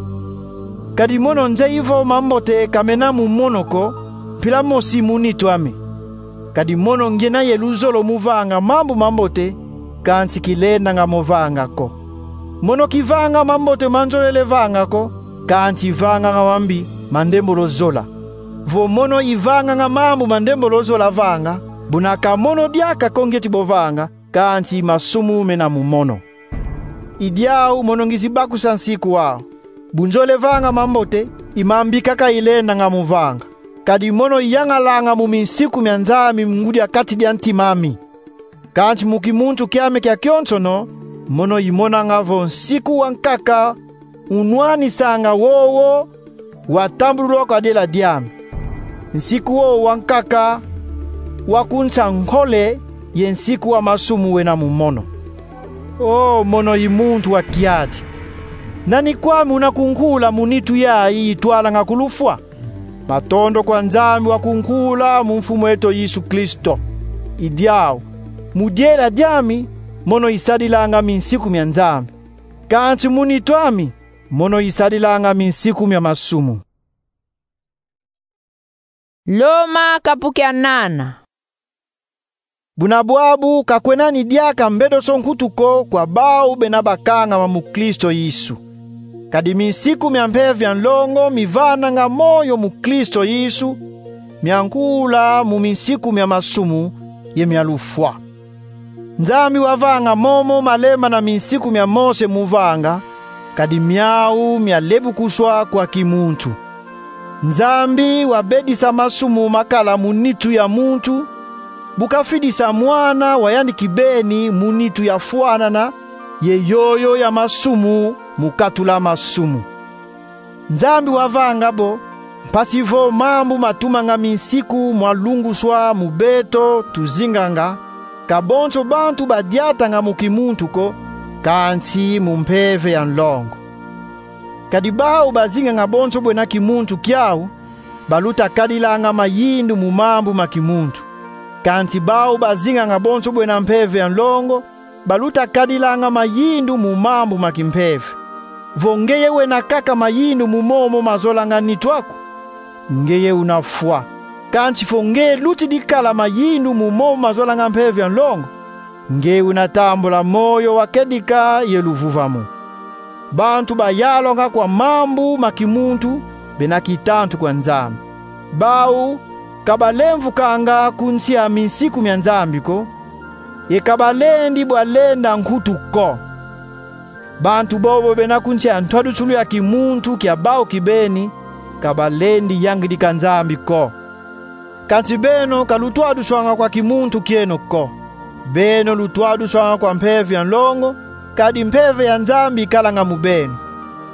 Kadi mono nzeyi vo mambote ka mena mu mono ko, mpila mosi mu nitu ame. Kadi mono ngiena ye luzolo mu vanga mambu mambote, kansi kilendanga mo vanga ko. Mono kivanga mambote ma nzolele vanga ko, kansi ivanganga mambi ma ndembolo zola. Vo mono ivanganga mambu ma ndembolo zola vanga, buna ka mono diaka ko ngieti bo vanga, kansi i masumu mena mu mono. I diau mono ngizi bakusa nsiku au. Bu nzolele vanga mambote, i mambi kaka ilendanga mo vanga. Kadi mono iyangalanga mu minsiku mia Nzambi mu ngudi a kati dia ntima ami. Kansi mu kimuntu kiame kia kionsono, mono imonanga vo nsiku wankaka unwanisanga wowo watambululwa kwa diela diame. Nsiku wowo wankaka wakunsa nkole ye nsiku wa masumu wena mu mono. O mono i muntu wa kiadi! Nani kwame una kunkula mu nitu yayi itwalanga ku lufwa? Matondo kwa Nzambi wakunkula mu Mfumu eto Yesu Kristo. I diau, mu diela diami, mono isadilanga minsiku mia Nzambi. Kansi mu nitu ami, mono isadilanga minsiku mia masumu. Loma kapu kia nana. Buna bwabu ka kwena ni diaka mbedoso nkutu ko kwa bau bena bakangama mu Kristo Yesu. Kadi minsiku mia mpeve ya nlongo mivananga moyo mu Kristo Yesu, mia nkula mu minsiku mia masumu ye mia lufwa. Nzambi wavanga momo malema na minsiku mia Mose mu vanga, kadi miau mia lebukuswa kwa kimuntu. Nzambi wabedisa masumu makala mu nitu ya muntu, bu kafidisa Mwana wa yandi kibeni mu nitu yafwanana ye yoyo ya masumu mu katula masumu. Nzambi wavanga bo, mpasi vo mambu matumanga minsiku mwa lunguswa mu beto tuzinganga, ka bonso bantu badiatanga mu kimuntu ko, kansi mu mpeve ya nlongo. Kadi bau bazinganga bonso bwena kimuntu kiau, baluta kadilanga mayindu mu mambu ma kimuntu. Kansi bau bazinganga bonso bwena mpeve ya nlongo, baluta kadilanga mayindu mu mambu ma kimpeve. Vo ngeye wena kaka mayindu mu momo mazolanga nitu aku, ngeye una fwa. Kansi vo ngeye lutidi kala mayindu mu momo mazolanga mpeve ya nlongo, ngeye una tambula moyo wa kedika ye luvuvamu. Bantu bayalwanga kwa mambu ma kimuntu bena kitantu kwa Nzambi. Bau ka balemvukanga ku nsi ya minsiku mia Nzambi ko, ye ka balendi bwa lenda nkutu ko. Bantu bobo bena ku nsi ya ntwadusulu ya kimuntu kia bau kibeni, ka balendi yangidika Nzambi ko. Kansi beno ka lutwaduswanga kwa kimuntu kieno ko. Beno lutwaduswanga kwa mpeve ya nlongo, kadi mpeve ya Nzambi ikalanga mu beno.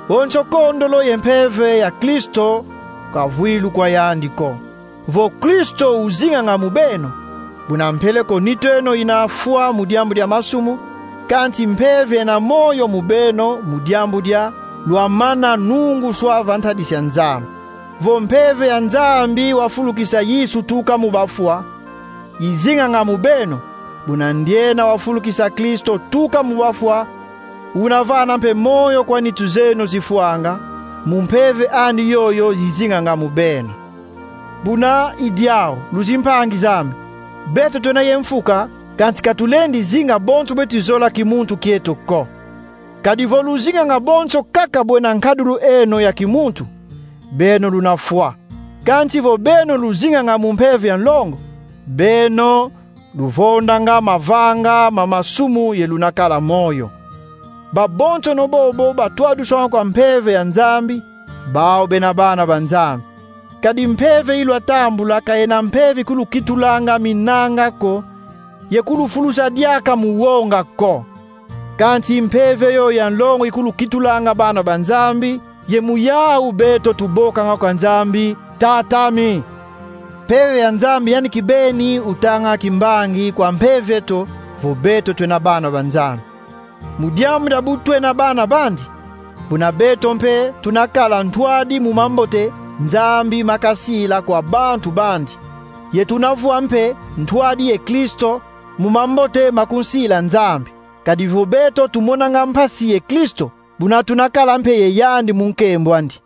Bonso kondolo ye mpeve ya Kristo ka vwilu kwa yandi ko. Vo Kristo uzinganga mu beno, buna mpeleko nitu eno ina fwa mu diambu dia masumu, kansi mpeve ena moyo mu beno mu diambu dia lwamana nunguswa va ntadisi ya Nzambi. Vo mpeve ya Nzambi wafulukisa Yesu tuka mu bafwa, izinganga mu beno, buna ndiena wafulukisa Kristo tuka mu bafwa, una vana mpe moyo kwa nitu zeno zifwanga, mu mpeve andi yoyo izinganga mu beno. Buna i diau, luzimpangi zame, beto twena ye mfuka, kansi ka tulendi zinga bonso beti zola kimuntu kieto ko. Kadi vo luzinganga bonso kaka bwena nkadulu eno ya kimuntu, beno luna fwa. Kansi vo beno luzinganga mu mpeve ya nlongo, beno luvondanga mavanga ma masumu ye luna kala moyo. Babonsono bobo batwaduswanga kwa mpeve ya Nzambi, bau bena bana ba Nzambi. Kadi mpeve ilwatambula ka yena mpeve ikulukitulanga minanga ko, ye kulufulusa diaka mu wonga ko. Kansi mpeve yoyo ya nlongo ikulukitulanga bana ba Nzambi, ye mu yau beto tubokanga kwa Nzambi: Tata ami. Mpeve ya Nzambi yandi kibeni utanga kimbangi kwa mpeve eto vo beto twena bana ba Nzambi. Mu diambu dia bu twena bana bandi, buna beto mpe tuna kala ntwadi mu mambote Nzambi makasila kwa bantu bandi, ye tuna vwa mpe ntwadi ye Kristo mu mambote makunsila Nzambi. Kadi vo beto tumonanga mpasi ye Kristo, buna tuna kala mpe ye yandi mu nkembo andi.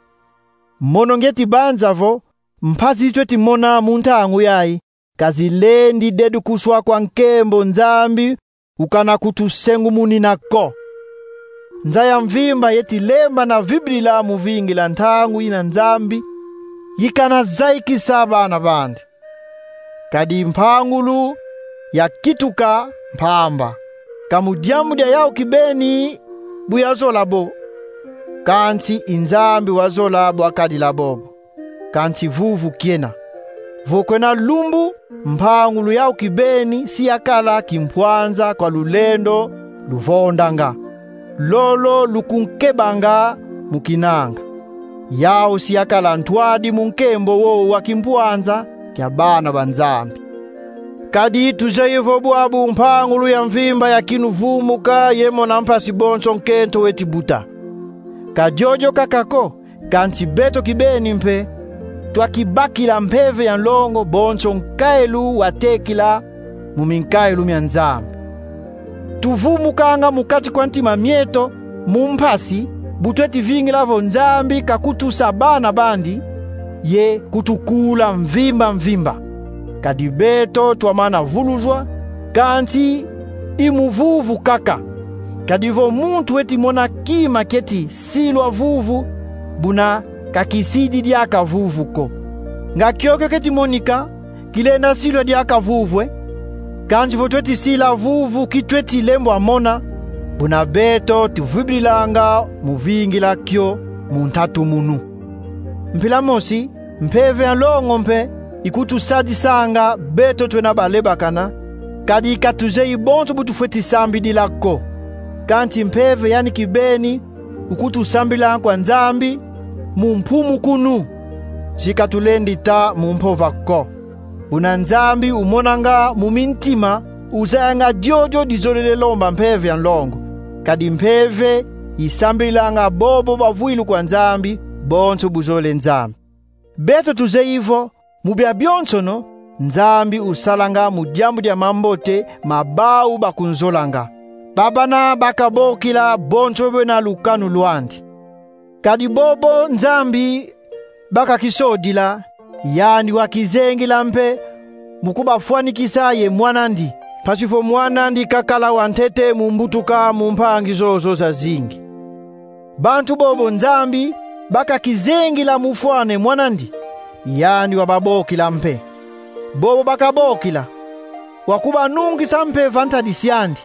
Mono ngieti banza vo mpasi zi tweti mona mu ntangu yayi ka zilendi dedukuswa kwa nkembo Nzambi ukana kutusengumunina ko. Nza ya mvimba yeti lemba na vibidila mu vingila ntangu yina Nzambi yikana zayikisa bana bandi. Kadi mpangulu yakituka mpamba, ka mu diambu dia yau kibeni bu yazola bo, kansi i Nzambi wazola bwakadila bobo. Kansi vuvu kiena. Vo kwena lumbu, mpangulu yau kibeni si yakala kimpwanza kwa lulendo luvondanga, lolo lukunkebanga mu kinanga. Yau si yakala ntwadi mu nkembo wowo wa kimpwanza kia bana ba Nzambi. Kadi tuzeyi vo bwabu mpangulu ya mvimba ya kinuvumuka ye mona mpasi bonso nkento weti buta. Ka diodio kaka ko, kansi beto kibeni mpe twakibakila mpeve ya nlongo bonso nkailu watekila mu minkailu mia Nzambi. Tuvumukanga mu kati kwa ntima mieto mu mpasi, bu tweti vingila vo Nzambi kakutusa bana bandi, ye kutukula mvimba mvimba. Kadi beto twamana vuluzwa, kansi i mu vuvu kaka. Kadi vo muntu weti mona kima kieti silwa vuvu, buna kakisidi diaka vuvu ko. Nga kiokio kieti monika, kilenda silwa diaka vuvu e. Kansi vo tweti sila vuvu ki tweti lembwa mona, buna beto tuvuibilanga mu vingila kio mu ntatumunu. Mpila mosi, mpeve ya nlongo mpe ikutusadisanga beto twena balebakana, kadi ka tuzeyi bonso bu tufweti sambidila ko. Kansi mpeve yandi kibeni ukutusambilanga kwa Nzambi mu mpumu kunu, si ka tulendi ta mu mpova ko. Buna Nzambi umonanga mu mintima, uzayanga diodio dizolele lomba mpeve ya nlongo, kadi mpeve isambililanga bobo bavwilu kwa Nzambi, bonso buzolele Nzambi. Beto tuzeyi vo, mu bia bionsono, Nzambi usalanga mu diambu dia mambote ma bau bakunzolanga, babana bakabokila bonso bena lukanu lwandi. Kadi bobo Nzambi bakakisodila, yandi wakizengila mpe mu kubafwanikisa ye Mwanandi, mpasi vo Mwanandi kakala wa ntete mu mbutuka mu mpangi zozo zazingi. Bantu bobo Nzambi bakakizengila mu fwana ye Mwanandi, yandi wababokila mpe. Bobo bakabokila, wakubanungisa mpe va ntadisi andi.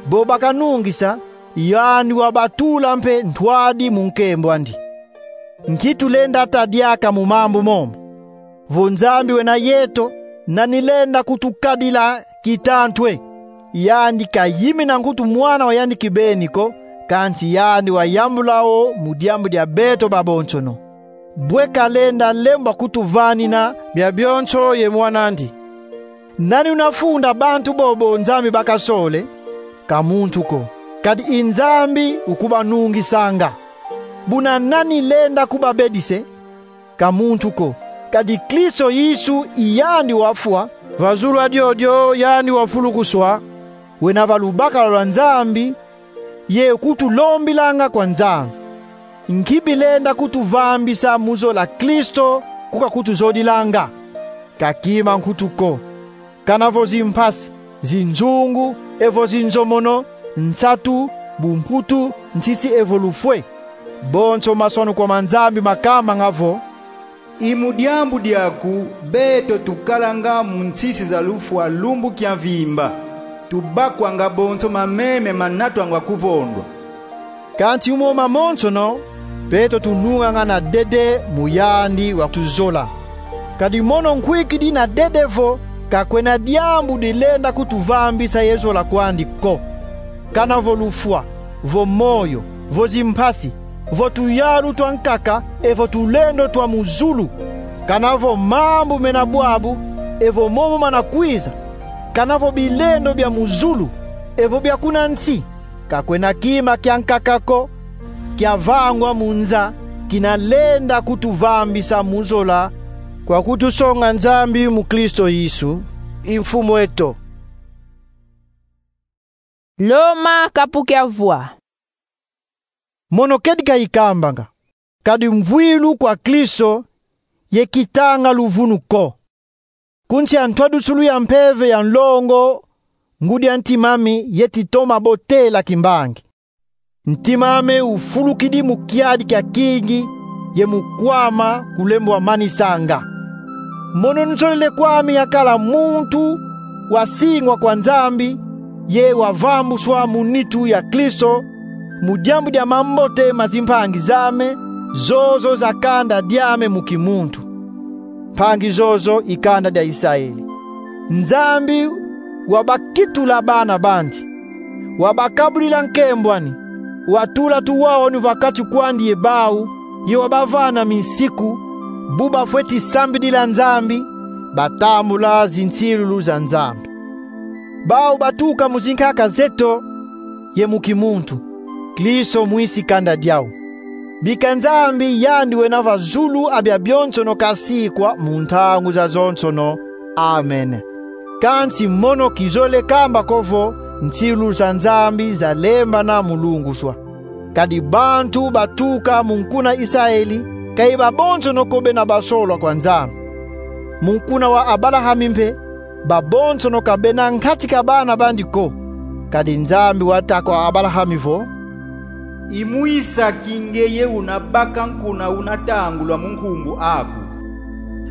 Bobo bakanungisa, yandi wabatula mpe ntwadi mu nkembo andi. Nki tulenda ta diaka mu mambu momo? Vo Nzambi wena yeto, nani lenda kutukadila kitantu e? Yandi kayimina nkutu Mwana wa yandi kibeni ko, kansi yandi wayambula wo mu diambu dia beto babonsono. Bwe kalenda lembwa kutuvanina bia bionso ye Mwanandi? Nani una funda bantu bobo Nzambi bakasole? Ka muntu ko, kadi i Nzambi ukubanungisanga. Buna nani lenda kubabedisa e? Ka muntu ko, kadi Kristo Yesu i yandi wafwa, va zulu a diodio yandi wafulukuswa, wena va lubakala lwa Nzambi, ye ukutulombilanga kwa Nzambi. Nki bilenda kutuvambisa mu zola Kristo ku kakutuzodilanga? Ka kima nkutu ko. Kana vo zimpasi, zinzungu, evo zinzomono, nsatu, bumputu, nsisi evo lufwa e. Bonso maswanu kwa ma Nzambi makambanga vo: I mu diambu diaku beto tukalanga mu nsisi za lufwa lumbu kia mvimba, tubakwanga bonso mameme manatwanga kuvondwa. Kansi mu mo mamonsono, beto tununganga na dede mu yandi watuzola. Kadi mono nkwikidi na dede vo, ka kwena diambu dilenda kutuvambisa ye zola kwandi ko. Kana vo lufwa, vo moyo, vo zimpasi, vo tuyalu twa nkaka, evo tulendo twa mu zulu. Kana vo mambu mena bwabu, evo momo mana kwiza. Kana vo bilendo bia mu zulu, evo bia kuna nsi. Ka kwena kima kia nkaka ko kiavangwa mu nza kina lenda kutuvambisa mu zola kwa kutusonga Nzambi mu Kristo Yesu, i Mfumu eto. Loma kapu kia vwa. Mono kedika ikambanga, kadi mvwilu kwa Kristo ye kitanga luvunu ko. Ku nsi a ntwadusulu ya mpeve ya nlongo, ngudi a ntim'ame yeti toma botela kimbangi. Ntim'ame ufulukidi mu kiadi kia kingi, ye mu kwama kulembwa manisanga. Mono nzolele kw'ame yakala muntu wasingwa kwa Nzambi, ye wavambuswa mu nitu ya Kristo, mu diambu dia mambote ma zimpangi z'ame, zozo za kanda diame mu kimuntu. Mpangi zozo i kanda dia Isaeli. Nzambi wabakitula bana bandi, wabakabudila nkembo ani, watula tuwawanu va kati kwandi ye bau, ye wabavana minsiku, bu bafweti sambidila Nzambi, batambula zinsilulu za Nzambi. Bau batuka mu zinkaka zeto ye mu kimuntu, Kristo mwisi kanda diau. Bika Nzambi yandi wena va zulu a biabionsono kasikwa mu ntangu zazonsono. Amen. Kansi mono kizolele kamba ko vo nsilulu za Nzambi zalembana mu lunguswa. Kadi bantu batuka mu nkuna Isaeli, ka i babonsono ko bena basolwa kwa Nzambi. Mu nkuna wa Abalahami mpe, babonsono ka bena nkati ka bana bandi ko. Kadi Nzambi wata kwa Abalahami vo: I mu Isaki ngeye una baka nkuna una tangulwa mu nkumbu aku.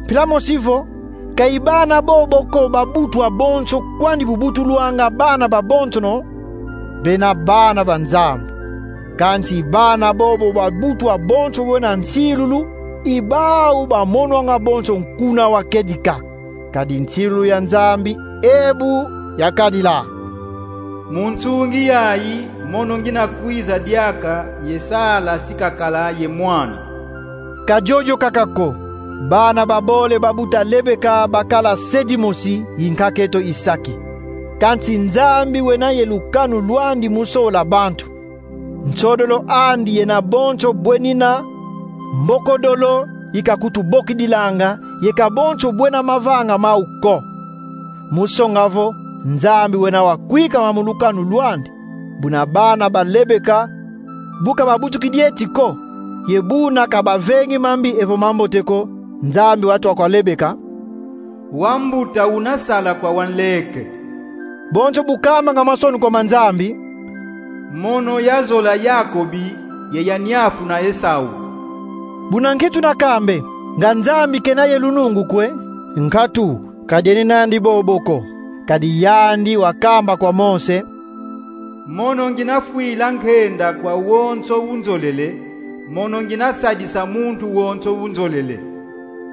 Mpila mosi vo, ka i bana bobo ko ba butu abonso kwandi bubutulwanga bana babonsono bena bana ba Nzambi. Kansi bana bobo ba butu abonso bena nsilulu, i bau bamonwanga bonso nkuna wa kedika. Kadi nsilulu ya Nzambi e bu yakadila: Mu nsungi yayi, mono ngina kwiza diaka, ye sala si kakala ye mwana. Ka diodio kaka ko, bana babole babuta Lebeka bakala se dimosi, i nkaka eto Isaki. Kansi Nzambi wena ye lukanu lwandi mu sola bantu. Nsodolo andi yena bonso bwenina, mbokodolo i kakutubokidilanga, ye ka bonso bwena mavanga mau ko. Mu songa vo Nzambi wena wakwikama mu lukanu lwandi, buna bana ba Lebeka, bu ka babutukidi eti ko, ye buna ka bavengi mambi evo mambote ko, Nzambi watwa kwa Lebeka: Wambuta una sala kwa wanleke. Bonso bu kamanga masonu kwa ma Nzambi: Mono yazola Yakobi, ye yaniafuna Esau. Buna nki tuna kambe? Nga Nzambi kena ye lunungu kwe? Nkatu, ka diena nandi bobo ko. Kadi yandi wakamba kwa Mose: Mono ngina fwila nkenda kwa wonso unzolele, mono ngina sadisa muntu wonso unzolele.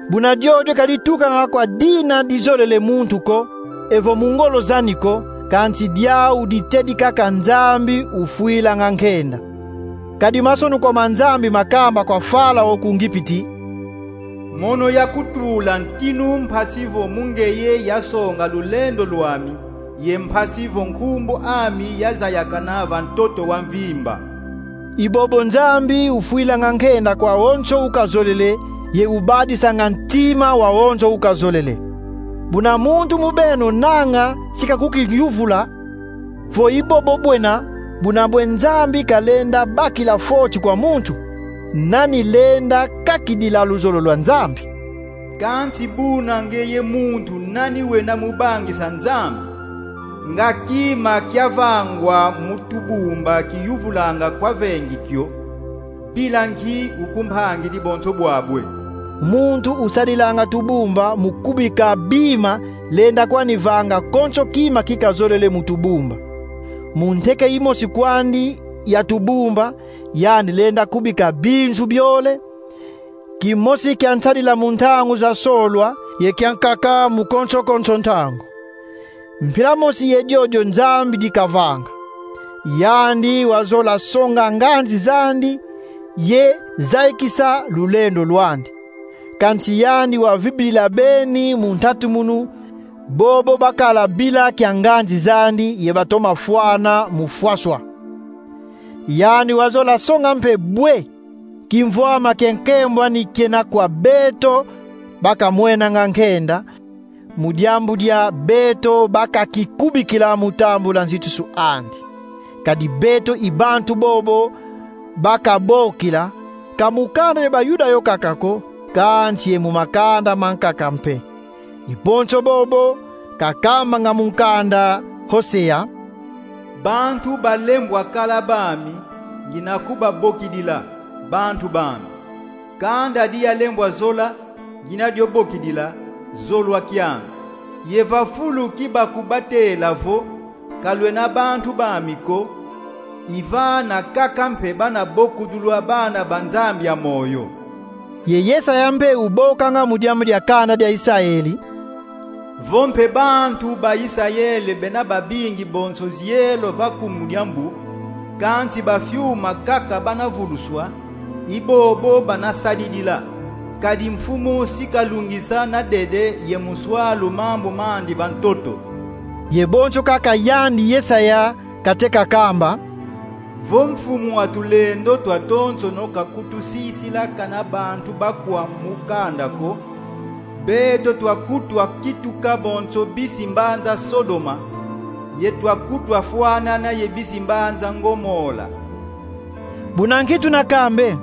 Buna diodio ka ditukanga kwa dina dizolele muntu ko, evo mu ngolo zani ko, kansi diau ditedi kaka Nzambi ufwilanga nkenda. Kadi masonu kwa ma Nzambi makamba kwa Farao ku Ngipiti: Mono yakutula ntinu mpasi vo mu ngeye yasonga lulendo lwami, ye mpasi vo nkumbu ami yazayakana va ntoto wa mvimba. I bobo Nzambi ufwilanga nkenda kwa wonso ukazolele, ye ubadisanga ntima wa wonso ukazolele. Buna muntu mu beno nanga si kakukiyuvula vo i bobo bwena, buna bwe Nzambi kalenda bakila foti kwa muntu? Nani lenda kakidila luzolo lwa Nzambi? Kansi buna ngeye muntu, nani wena mu bangisa Nzambi? Nga kima kiavangwa mu tubumba kiyuvulanga kwa vengi kio, bila nki uku mpangidi bonso bwabwe? Muntu usadilanga tubumba mu kubika bima lenda kwani vanga konso kima kikazolele mu tubumba. Mu nteke imosi kwandi ya tubumba, yandi lenda kubika binzu biole, kimosi kia nsadila mu ntangu za solwa, ye kiankaka mu konso-konso ntangu. Mpila mosi ye diodio Nzambi dikavanga. Yandi wazola songa nganzi zandi, ye zayikisa lulendo lwandi. Kansi yandi wavibidila beni mu ntatumunu, bobo bakala bila kia nganzi zandi ye batoma fwana mu fwaswa. Yandi wazola songa mpe bwe kimvwama kia nkembo ani kiena kwa beto bakamwenanga nkenda, mu diambu dia beto bakakikubikila mu tambula nzitusu andi. Kadi beto i bantu bobo bakabokila, ka mu kanda dia Bayuda yo kaka ko, kansi ye mu makanda mankaka mpe. I bonso bobo kakambanga mu nkanda Hosea: Bantu balembwa kala bami, ngina kubabokidila, bantu bami. Kanda diyalembwa zola, ngina dio bokidila, zolwa kiami. Ye va fulu ki bakubatela vo, ka lwena bantu bami ko, i vana kaka mpe bana bokudulwa bana ba Nzambi ya moyo. Ye Yesaya mpe ubokanga mu diambu dia kanda dia Isayeli: Vo mpe bantu ba Isayele bena babingi bonso zielo va kumu dia mbu, kansi ba fiuma kaka bana vuluswa, i bobo bana sadidila. Kadi Mfumu si kalungisa na dede ye muswalu mambu mandi va ntoto. Ye bonso kaka yandi Yesaya kate kakamba: Vo Mfumu wa tulendo twatonsono kakutusisila kana bantu bakwa mu kanda ko, beto twakutwa kituka bonso bisi mbanza Sodoma, ye twakutwa fwanana ye bisi mbanza Ngomola. Buna nki tuna kambe?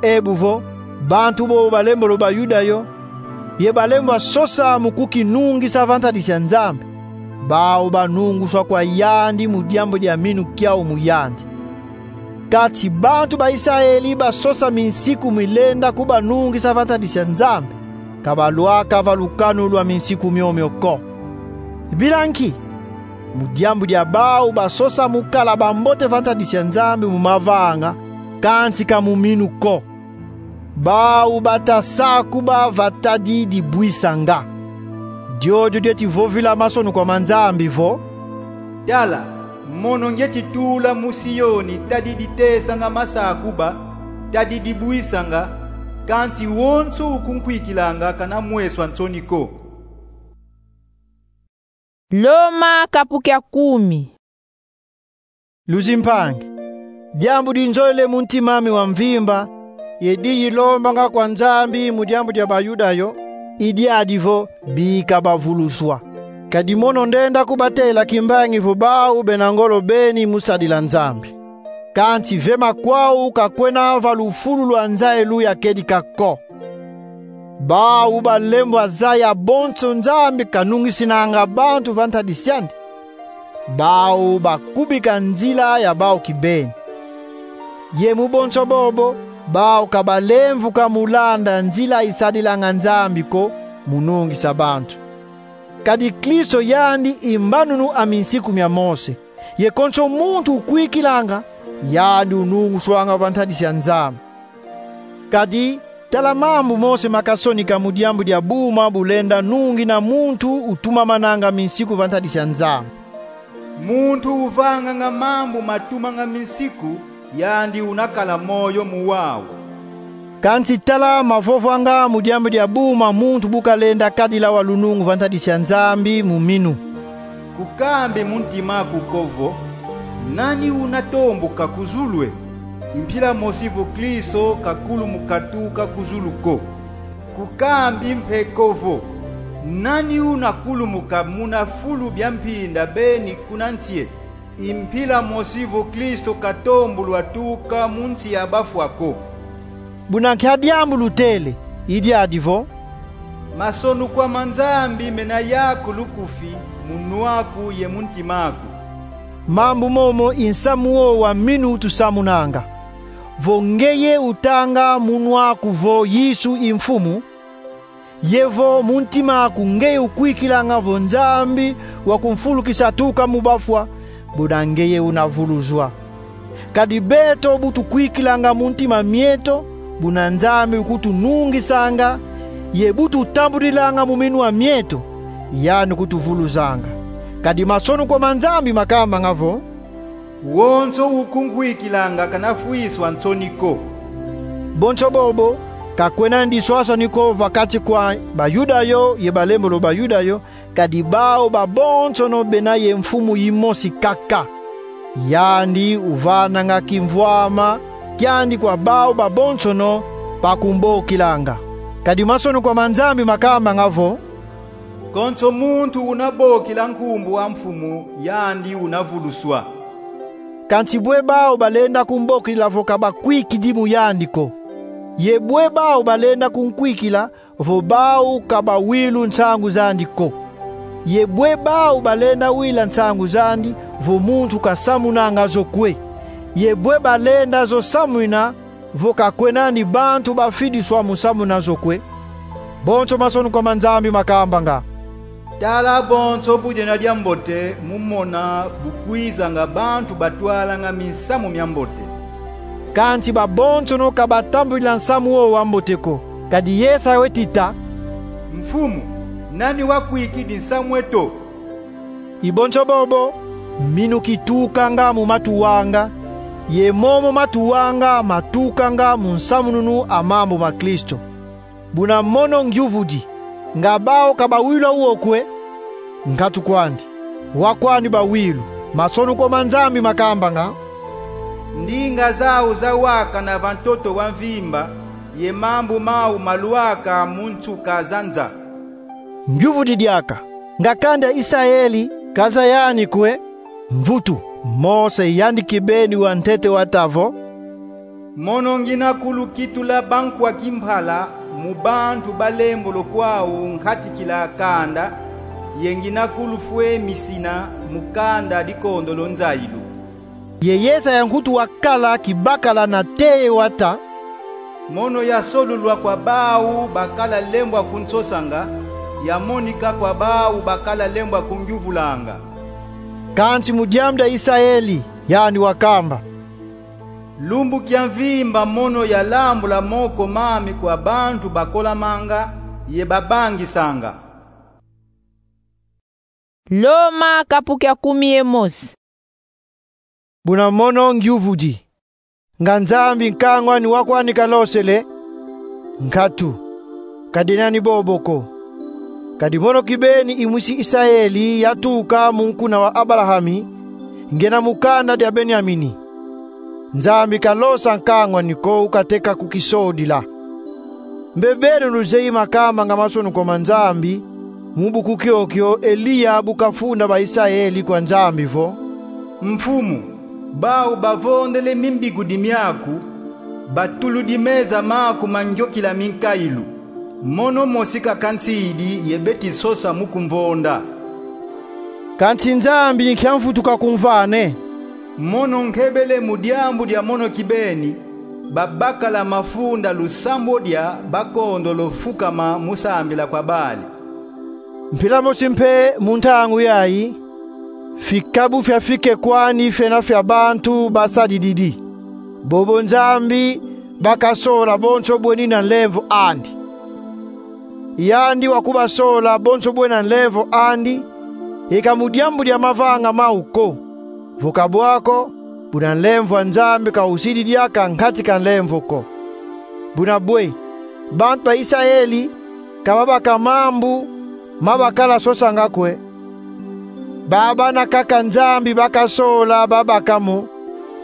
Ebu vo, bantu bobo balembolo Bayuda yo, ye balembwa sosa mu kukinungisa va ntadisi ya Nzambi, bau banunguswa kwa yandi mu diambu dia minu kiau mu yandi. Kansi bantu ba Isayeli basosa minsiku milenda kubanungisa va ntadisi ya Nzambi, ka balwaka va lukanu lwa minsiku miomio ko. Bila nki? Mu diambu dia bau basosa mu kala bambote va ntadisi ya Nzambi mu mavanga, kansi ka mu minu ko. Bau bata sakuba va tadi dibwisanga. Diodio dieti vovila masonukwa ma Nzambi vo: Tala, mono ngieti tula mu Sioni tadi ditesanga masakuba, tadi dibwisanga, kansi wonso ukunkwikilanga kana mweswa nsoni ko. Loma kapu kia kumi. Luzimpangi, diambu dinzolele mu ntima ami wa mvimba, ye diyi lombanga kwa Nzambi mu diambu dia Bayuda yo, i diadi vo: bika bavuluswa. Kadi mono ndenda kubatela kimbangi vo bau bena ngolo beni mu sadila Nzambi. Kansi ve makwau ka kwena va lufulu lwa nza elu ya kedika ko. Bau balembwa zaya bonso Nzambi kanungisinanga bantu va ntadisi andi. Bau bakubika nzila ya bau kibeni. Ye mu bonso bobo, bau ka balemvuka mu landa nzila isadilanga Nzambi ko mu nungisa bantu. Kadi Kristo yandi i mbanunu a minsiku mia Mose, ye konso muntu ukwikilanga, yandi ununguswanga va ntadisi ya Nzambi. Kadi tala mambu Mose makasonika mu diambu dia buma bulenda nungina muntu utumamananga minsiku va ntadisi ya Nzambi: Muntu uvanganga mambu matumanga minsiku, yandi unakala moyo mu wau. Kansi tala mavovwanga mu diambu dia buma muntu bu kalenda kadila wa lunungu va ntadisi ya Nzambi mu minu: Kukambi mu ntima aku ko vo: Nani unatombuka ku zulu e? I mpila mosi vo Kristo kakulumu katuka ku zulu ko. Kukambi mpe ko vo: Nani unakulumuka muna fulu bia mpinda beni kuna nsi e? I mpila mosi vo Kristo katombulwa tuka mu nsi ya bafwa ko. Buna nkia diambu lutele? I diadi vo: Masonukwa ma Nzambi mena yaku lukufi mu nwa aku ye mu ntima aku. Mambu momo i nsamu wowo wa minu utusamunanga. Vo ngeye utanga mu nwa aku vo Yesu i Mfumu, ye vo mu ntima aku ngeye ukwikilanga vo Nzambi wakumfulukisa tuka mu bafwa, buna ngeye unavuluzwa. Kadi beto bu tukwikilanga mu ntima mieto, buna Nzambi ukutunungisanga, ye bu tutambudilanga mu minwa mieto, yandi ukutuvuluzanga. Kadi masonukwa ma Nzambi makambanga vo: Wonso ukunkwikilanga kanafwiswa nsoni ko. Bonso bobo, ka kwena ndiswaswani ko va kati kwa Bayuda yo ye balembolo Bayuda yo, kadi bau babonsono bena ye Mfumu yimosi kaka. Yandi uvananga kimvwama kiandi kwa bau babonsono bakumbokilanga. Kadi masonukwa ma Nzambi makambanga vo: Konso muntu unabokila nkumbu a Mfumu, yandi unavuluswa. Kansi bwe bau balenda kumbokila vo ka bakwikidi mu yandi ko? Ye bwe bau balenda kunkwikila vo bau ka bawilu nsangu zandi ko? Ye bwe bau balenda wila nsangu zandi vo muntu kasamunanga zo kwe? Ye bwe balenda zo samwina vo ka kwenandi bantu bafidiswa mu samuna zo kwe? Bonso masonukwa ma Nzambi makambanga: Tala bonso bu diena diambote mu mona bu kwizanga bantu batwalanga minsamu miambote. Kansi babonsono ka batambudila nsamu wowo wa mbote ko. Kadi Yesaya weti ta: Mfumu, nani wakwikidi nsamu eto? I bonso bobo, minu kitukanga mu matu anga, ye momo matu anga matukanga mu nsamununu a mambu ma Kristo. Buna mono ngyuvudi: Nga bawu ka bawilwa wo kwe? Nkatu kwandi. Wa kwandi bawilwa. Masonukwa ma Nzambi makambanga: Ndinga zawu zawakana va ntoto wa mvimba, ye mambu mawu malwaka mu nsuka za nza. Ngyuvudi diaka: Nga kanda Isayeli ka zaya yani kwe? Mvutu, Mose yandi kibeni wa ntete wata vo: Mono ngina kulukitula bankwa kimpala mu bantu balembolo kwawu nkatikila kanda, ye ngina kulufwemisina mu kanda dikondolo nzayilu. Ye Yesaya nkutu wakala kibakala na teye wata: Mono yasolulwa kwa bawu bakala lembwa kunsosanga, yamonika kwa bawu bakala lembwa kungyuvulanga. Kansi mu diambu dia Isayeli, yani wakamba: Lumbu kia mvimba mono yalambula moko mami kwa bantu bakolamanga ye babangisanga. Loma kapu kia kumi ye mosi. Buna mono ngyuvudi: Nga Nzambi nkangwani wa kwani kalosele? Nkatu, ka dinani bobo ko. Kadi mono kibeni i mwisi Isayeli yatuka mu nkuna wa Abalahami, ngyena mu kanda dia Benyamini. Nzambi kalosa nkangwani ko, ukateka kukisodila. Mbe beno luzeyi makamba nga masonukwa ma Nzambi mu buku kiokio Eliya bu kafunda ba Isayeli kwa Nzambi vo: Mfumu, bawu bavondele mimbigudi miaku, batuludi meza maku ma ngyokila minkayilu. Mono mosi kaka nsidi ye beti sosa mu kumvonda. Kansi Nzambi nkia mvutuka kumvane? Mono nkebele mu diambu dia mono kibeni, babakala mafunda lusambwadia bakondolo fukama mu sambila kwa Bali. Mpila mosi mpe mu ntangu yayi, fikabu fiafike kwani fiena fia bantu basadididi. Bobo Nzambi bakasola bonso bweni na nlemvo andi. Yandi wakubasola bonso bwe na nlemvo andi, e ka mu diambu dia mavanga mau ko. Vo ka bwa ko, buna nlemvo a Nzambi ka usidi diaka nkatika nlemvo ko. Buna bwe, bantu ba Isayeli ka babaka mambu ma bakala sosanga kwe. Babana kaka Nzambi bakasola babaka mo,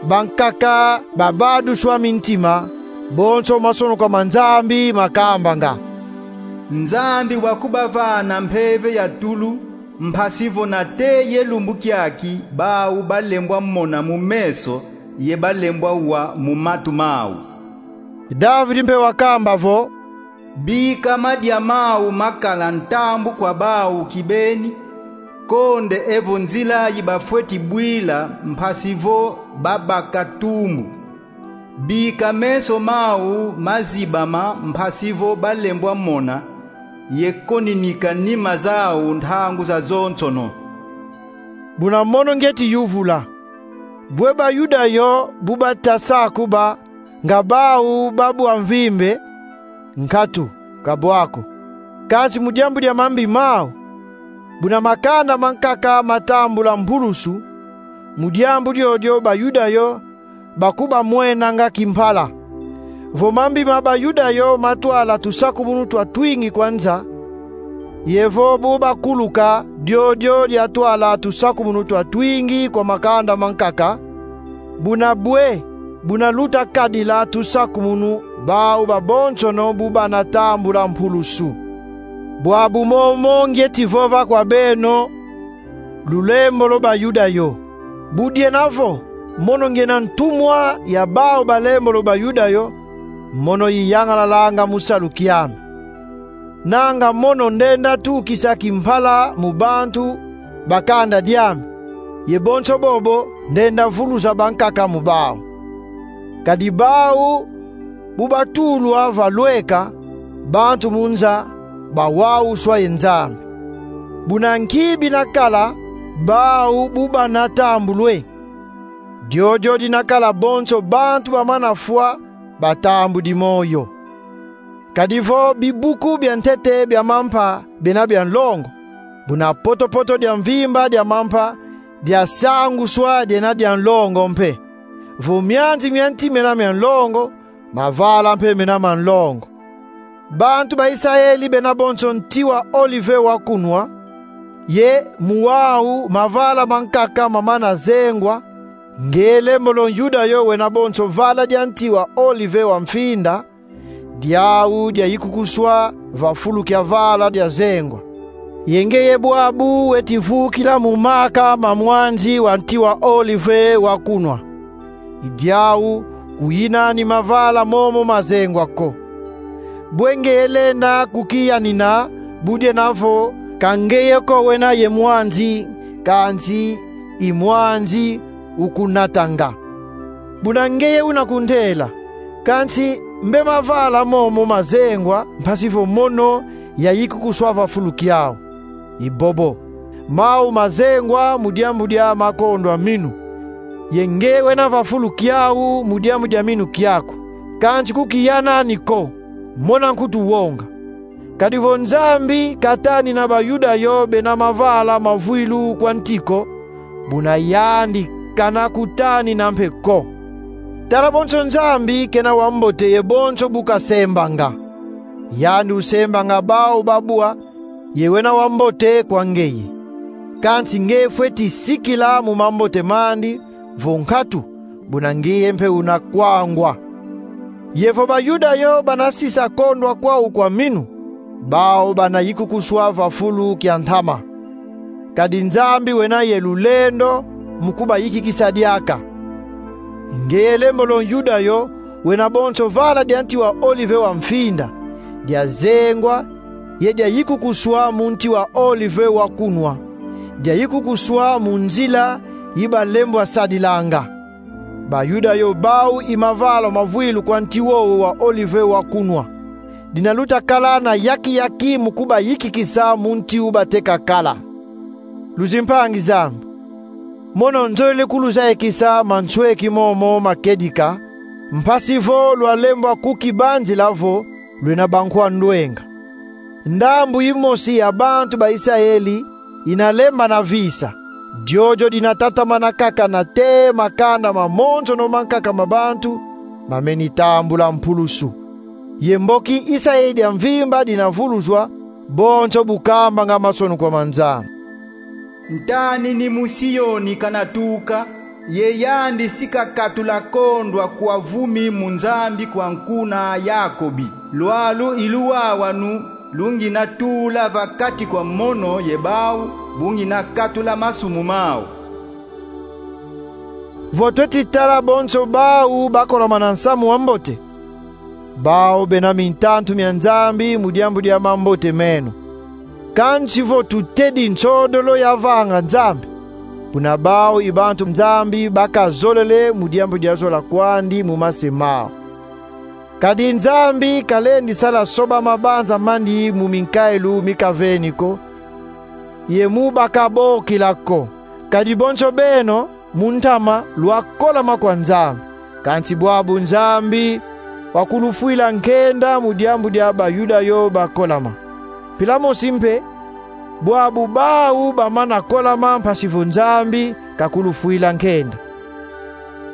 bankaka babaduswa mintima, bonso masonukwa ma Nzambi makambanga. Nzambi wakubavana mpeve ya tulu, mpasi vo nate ye lumbu kiaki bawu balembwa mona mu meso, ye balembwa wa mu matu mau. Davidi mpe wakamba vo: Bika madia mau makala ntambu kwa bawu kibeni, konde evo nzila yi bafweti bwila mpasi vo babaka tumbu. Bika meso mau mazibama mpasi vo balembwa mona, ye koninika nima zau ntangu zazonsono. Buna mono ngieti yuvula: Bwe Bayuda yo bu bata sakuba nga bau ba bwa mvimbe? Nkatu, ka bwa ko. Kansi mu diambu dia mambi mau, buna makanda mankaka matambula mpulusu, mu diambu diodio Bayuda yo bakubamwenanga kimpala. Vo mambi ma Bayuda yo matwala tusakumunu twa twingi kwa nza, ye vo bu bakuluka diodio diatwala tusakumunu twa twingi kwa makanda mankaka, buna bwe, buna luta kadila tusakumunu bau babonsono bu bana tambula mpulusu. Bwabu momo ngieti vova kwa beno, lulembolo Bayuda yo. Bu diena vo mono ngiena ntumwa ya bau balembolo Bayuda yo, mono iyangalalanga mu salu kiame. Nanga mono ndenda tukisa kimpala mu bantu ba kanda diame, ye bonso bobo ndenda vuluza bankaka mu bau. Kadi bau bu batulwa va lweka, bantu mu nza bawawuswa ye Nzambi. Buna nki binakala bau bu bana tambulwe? Diodio dinakala bonso bantu bamana fwa batambudi moyo. Kadi vo bibuku bia ntete bia mampa bena bia nlongo, buna potopoto dia mvimba dia mampa diasanguswa diena dia nlongo mpe. Vo mianzi mia nti mena mia nlongo, mavala mpe mena ma nlongo. Bantu ba Isayeli bena bonso nti wa olive wa kunwa, ye mu wau mavala mankaka mamana zengwa, nge lembolo Yuda yo wena bonso vala dia nti wa olive wa mfinda, diau diayikukuswa va fulu kia vala dia zengwa. Ye ngeye bwabu weti vukila mu maka ma mwanzi wa nti wa olive wa kunwa. I diau kuyinani mavala momo ma zengwa ko. Bwe ngeye lenda kukiyanina, bu diena vo ka ngeye ko wena ye mwanzi, kansi i mwanzi ukunatanga. Buna ngeye una kuntela: Kansi mbe mavala momo ma zengwa, mpasi vo mono yayikukuswa va fulu kiau? I bobo: Mau ma zengwa mu diambu dia makondwa minu, ye nge wena va fulu kiau mu diambu dia minu kiaku. Kansi kukiyanani ko, mona nkutu wonga. Kadi vo Nzambi katanina Bayuda yo bena mavala ma vwilu kwa nti ko, buna yandi kana kutanina mpe ko. Tala bonso Nzambi kena wa mbote ye bonso bu kasembanga. Yandi usembanga bau babwa, ye wena wa mbote kwa ngeye. Kansi nge fweti sikila mu mambote mandi, vo nkatu, buna ngeye mpe una kwangwa. Ye vo Bayuda yo bana sisa kondwa kwau kwa minu, bau bana yikukuswa va fulu kia ntama. Kadi Nzambi wena ye lulendo mu kubayikikisa diaka. Ngeye lembolo Yuda yo wena bonso vala dia nti wa olive wa mfinda, dia zengwa, ye diayikukuswa mu nti wa olive wa kunwa, diayikukuswa mu nzila yi balembwa sadilanga. Bayuda yo bau i mavala ma vwilu kwa nti wowo wa olive wa kunwa. Dina luta kala na yaki-yaki mu kubayikikisa mu nti u bateka kala. Luzimpangi zame, mono nzolele kuluzayikisa mansweki momo ma kedika, mpasi vo lwalembwa kukibanzila vo lwena bankwa ndwenga. Ndambu yimosi ya bantu ba Isayeli ina lembana visa. Diodio dina tatamana kaka nate makanda mamonsono mankaka ma bantu mameni tambula mpulusu. Ye mboki Isayeli dia mvimba dina vuluzwa, bonso bu kambanga mansoni kwa ma Nzambi. Ntanini mu Sioni kana tuka, ye yandi si kakatula kondwa kwa vumi mu Nzambi kwa nkuna Yakobi. Lwalu i luwawanu lu ngina tula va kati kwa mono ye bau, bu ngina katula masumu mau. Vo tweti tala bonso bau bakolama na nsamu wa mbote, bau bena mintantu mia Nzambi mu diambu dia mambote meno. Kansi vo tutedi nsodolo yavanga Nzambi, buna bau i bantu Nzambi bakazolele mu diambu dia zola kwandi mu mase mau. Kadi Nzambi kalendi sala soba mabanza mandi mu minkailu mi kaveni ko, ye mu bakabokila ko. Kadi bonso beno, mu ntama, lwakolama kwa Nzambi. Kansi bwabu Nzambi wakulufwila nkenda mu diambu dia Bayuda yo bakolama. Mpila mosi mpe, bwabu bau bamana kolama mpasi vo Nzambi kakulufwila nkenda.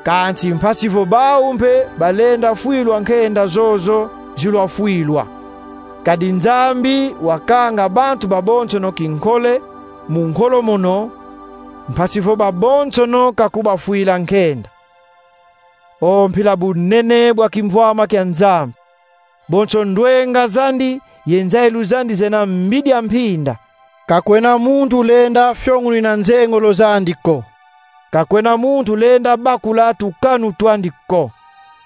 Kansi mpasi vo bau mpe balenda fwilwa nkenda zozo zilwafwilwa. Kadi Nzambi wakanga bantu babonsono kinkole mu nkolo mono, mpasi vo babonsono kakubafwila nkenda. O mpila bunene bwa kimvwama kia Nzambi! Bonso ndwenga zandi ye nzayilu zandi zena mbidi a mpinda. Ka kwena muntu lenda fiongunina nzengolo zandi ko. Ka kwena muntu lenda bakula tukanu twandi ko.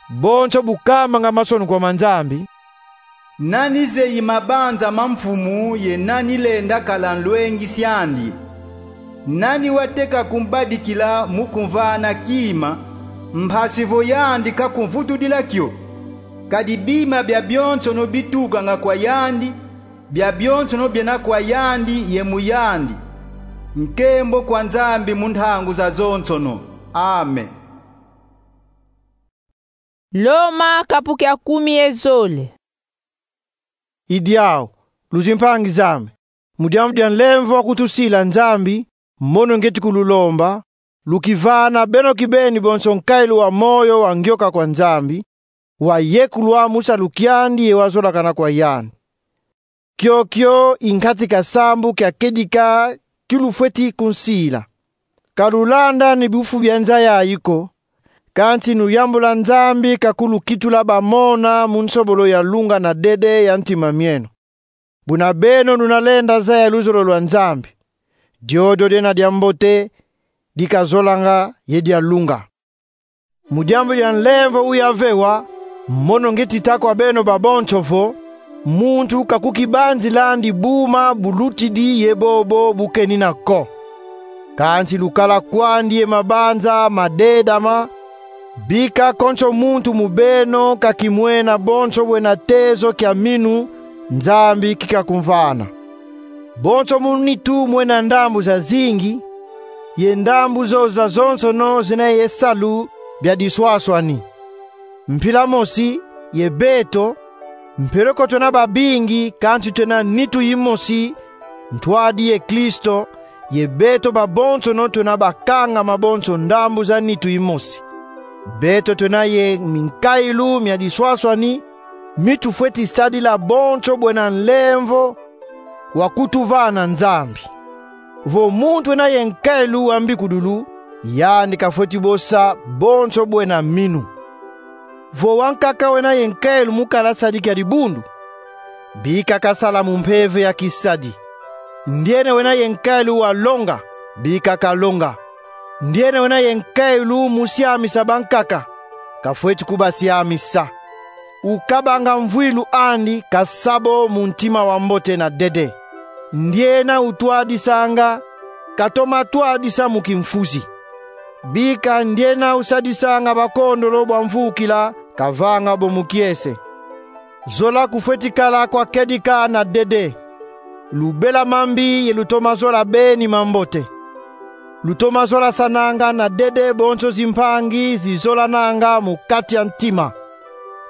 Bonso bu kambanga mansoni kwa ma Nzambi: Nani zeyi mabanza ma mfumu ye nani lenda kala nlwengisi andi? Nani wateka kumbadikila mu kumvana kima, mpasi vo yandi kakumvutudila kio? Kadi bima biabionsono bitukanga kwa yandi, biabionsono biena kwa yandi ye mu yandi. Nkembo kwa Nzambi mu ntangu zazonsono. Amen. Loma kapu kia kumi ye zole. I diau, luzimpangi zame, mu diambu dia nlemvo wa kutusila Nzambi, mono ngieti kululomba, lukivana beno kibeni bonso nkailu wa moyo wa ngioka kwa Nzambi, wa yekulwa mu salu kiandi ye wa zolakana kwa yandi. Kiokio i nkati ka sambu kia kedika ki lufweti kunsila. Ka lulanda ni bifu bia nza yayi ko, kansi luyambula Nzambi ka kulukitula bamona mu nsobolo ya lunga na dede ya ntima mieno. Buna beno luna lenda zaya luzolo lwa Nzambi, diodio diena diambote, dikazolanga ye dia lunga. Mu diambu dia nlemvo uya vewa, mono ngieti ta kwa beno babonso vo, muntu ka kukibanzilandi buma bulutidi ye bobo bukenina ko. Kansi lukala kwandi ye mabanza madedama, bika konso muntu mu beno ka kimwena bonso bwena tezo kia minu Nzambi kika kumvana. Bonso mu nitu mwena ndambu zazingi, ye ndambu zo zazonsono zina ye salu bia diswaswani. Mpila mosi, ye beto, mpeleko twena babingi, kansi twena nitu yimosi, ntwadi ye Kristo, ye beto babonsono twena bakangama bonso ndambu za nitu yimosi. Beto twena ye minkailu mia diswaswani, mi tufweti sadila bonso bwena nlemvo wa kutuvana Nzambi. Vo muntu wena ye nkailu wa mbikudulu, yandi kafweti bosa bonso bwena minu. Vo wankaka wena ye nkailu mu kala sadi kia dibundu, bika kasala mu mpeve ya kisadi. Ndiena wena ye nkailu wa longa, bika kalonga. Ndiena wena ye nkailu mu siamisa bankaka, kafweti kubasiamisa. Ukabanga mvwilu andi, kasa bo mu ntima wa mbote na dede. Ndiena utwadisanga, katoma twadisa mu kimfuzi. Bika ndiena usadisanga bakondolo bwa mvukila, kavanga bo mu kiese. Zola kufweti kala kwa kedika na dede. Lubela mambi ye lutoma zola beni mambote. Lutoma zolasananga na dede bonso zimpangi zizolananga mu kati ya ntima.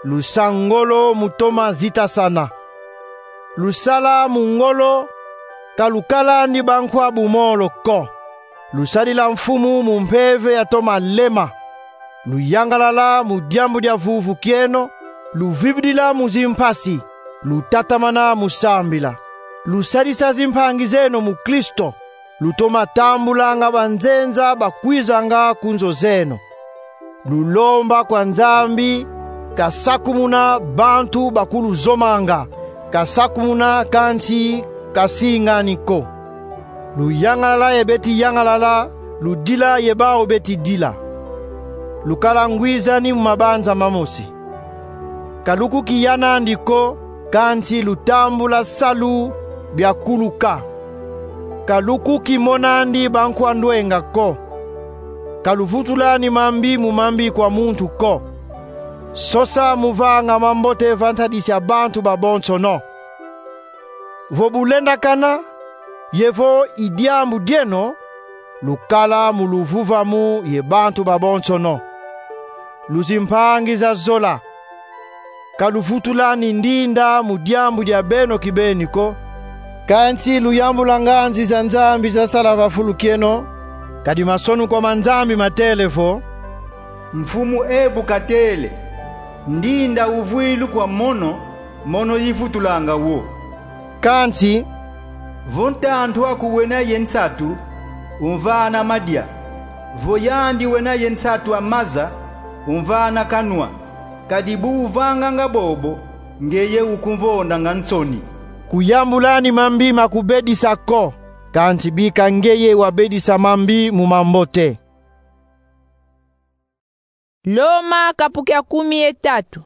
Lusa ngolo mu toma zitasana. Lusala mu ngolo, ka lukalandi bankwa bumolo ko. Lusadila Mfumu mu mpeve ya toma lema. Luyangalala mu diambu dia vuvu kieno, luvibidila mu zimpasi, lutatamana mu sambila. Lusadisa zimpangi zeno mu Kristo, lutoma tambulanga banzenza bakwizanga ku nzo zeno. Lulomba kwa Nzambi, kasakumuna bantu bakuluzomanga, kasakumuna kansi kasingani ko. Luyangalala ye beti yangalala, ludila ye bau beti dila. Lukala ngwizani mu mabanza mamosi. Ka lukukiyanandi ko, kansi lutambula salu biakuluka. Ka lukukimonandi bankwa ndwenga ko. Ka luvutulani mambi mu mambi kwa muntu ko. Sosa mu vanga mambote va ntadisi ya bantu babonsono. Vo bulendakana, ye vo i diambu dieno, lukala mu luvuvamu ye bantu babonsono. Luzimpangi za zola. Ka luvutulani ndinda mu diambu dia beno kibeni ko. Kansi luyambula nganzi za Nzambi zasala va fulu kieno, kadi masonukwa ma Nzambi matele vo: Mfumu ebu katele: Ndinda uvwilu kwa mono, mono yivutulanga wo. Kansi: Vo ntantu aku wena ye nsatu, umvana madia. Vo yandi wena ye nsatu a maza, umvana kanwa. Kadi bu uvanganga bobo, ngeye ukumvondanga nsoni. Kuyambulani mambi ma kubedisa ko, kansi bika ngeye wabedisa mambi mu mambote. Loma kapu kia kumi ye tatu.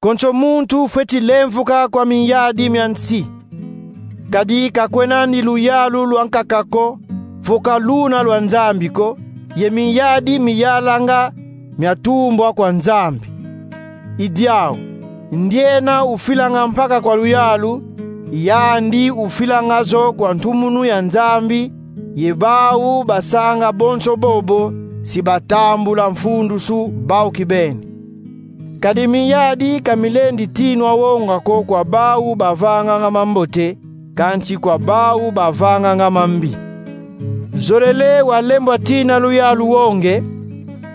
Konso muntu fweti lemvuka kwa minyadi mia nsi. Kadi ka kwenandi luyalu lwa nkaka ko, vo ka luna lwa Nzambi ko, ye minyadi miyalanga miatumbwa kwa Nzambi. I diau, ndiena ufilanga mpaka kwa luyalu, yandi ufilanga zo kwa ntumunu ya Nzambi, ye bau basanga bonso bobo, si batambula mfundusu bau kibeni. Kadi minyadi ka milendi tinwa wonga ko kwa bau bavanganga mambote, kansi kwa bau bavanganga mambi. Zolele walembwa tina luyalu wonge,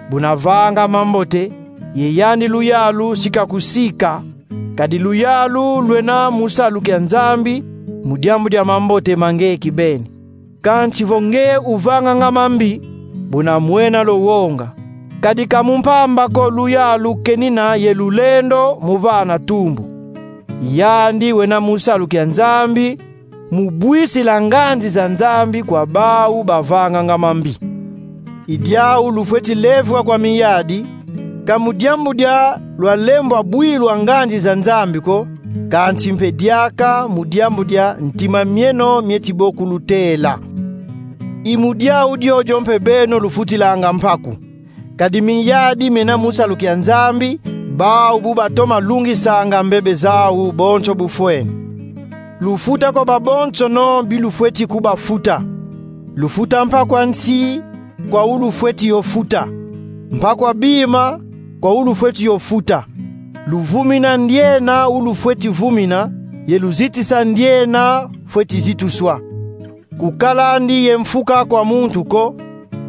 buna vanga mambote, ye yandi luyalu si kakusika, kadi luyalu lwena mu salu kia Nzambi, mu diambu dia mambote ma nge kibeni. Kansi vo nge uvanganga mambi, buna mwena lo wonga. Kadi ka mu mpamba ko luyalu kenina ye lulendo mu vana tumbu. Yandi wena mu salu kia Nzambi, mu bwisila nganzi za Nzambi kwa bau bavanganga mambi. I diau lufweti levwa kwa minyadi, ka mu diambu dia lwalembwa bwilwa nganzi za Nzambi ko, kansi mpe diaka mu diambu dia ntima mieno mieti bo kulutela. I mu diau diodio mpe beno lufutilanga mpaku. Kadi minyadi mena mu salu kia Nzambi, bau bu batoma lungisanga mbebe zau bonso bufweni. Lufuta kwa babonsono bi lufweti kubafuta. Lufuta mpaku a nsi kwa ulufweti yo futa, mpaku a bima kwa ulufweti yo futa. Luvumina ndiena ulufweti vumina, ye luzitisa ndiena fweti zituswa. Kukalandi ye mfuka kwa muntu ko,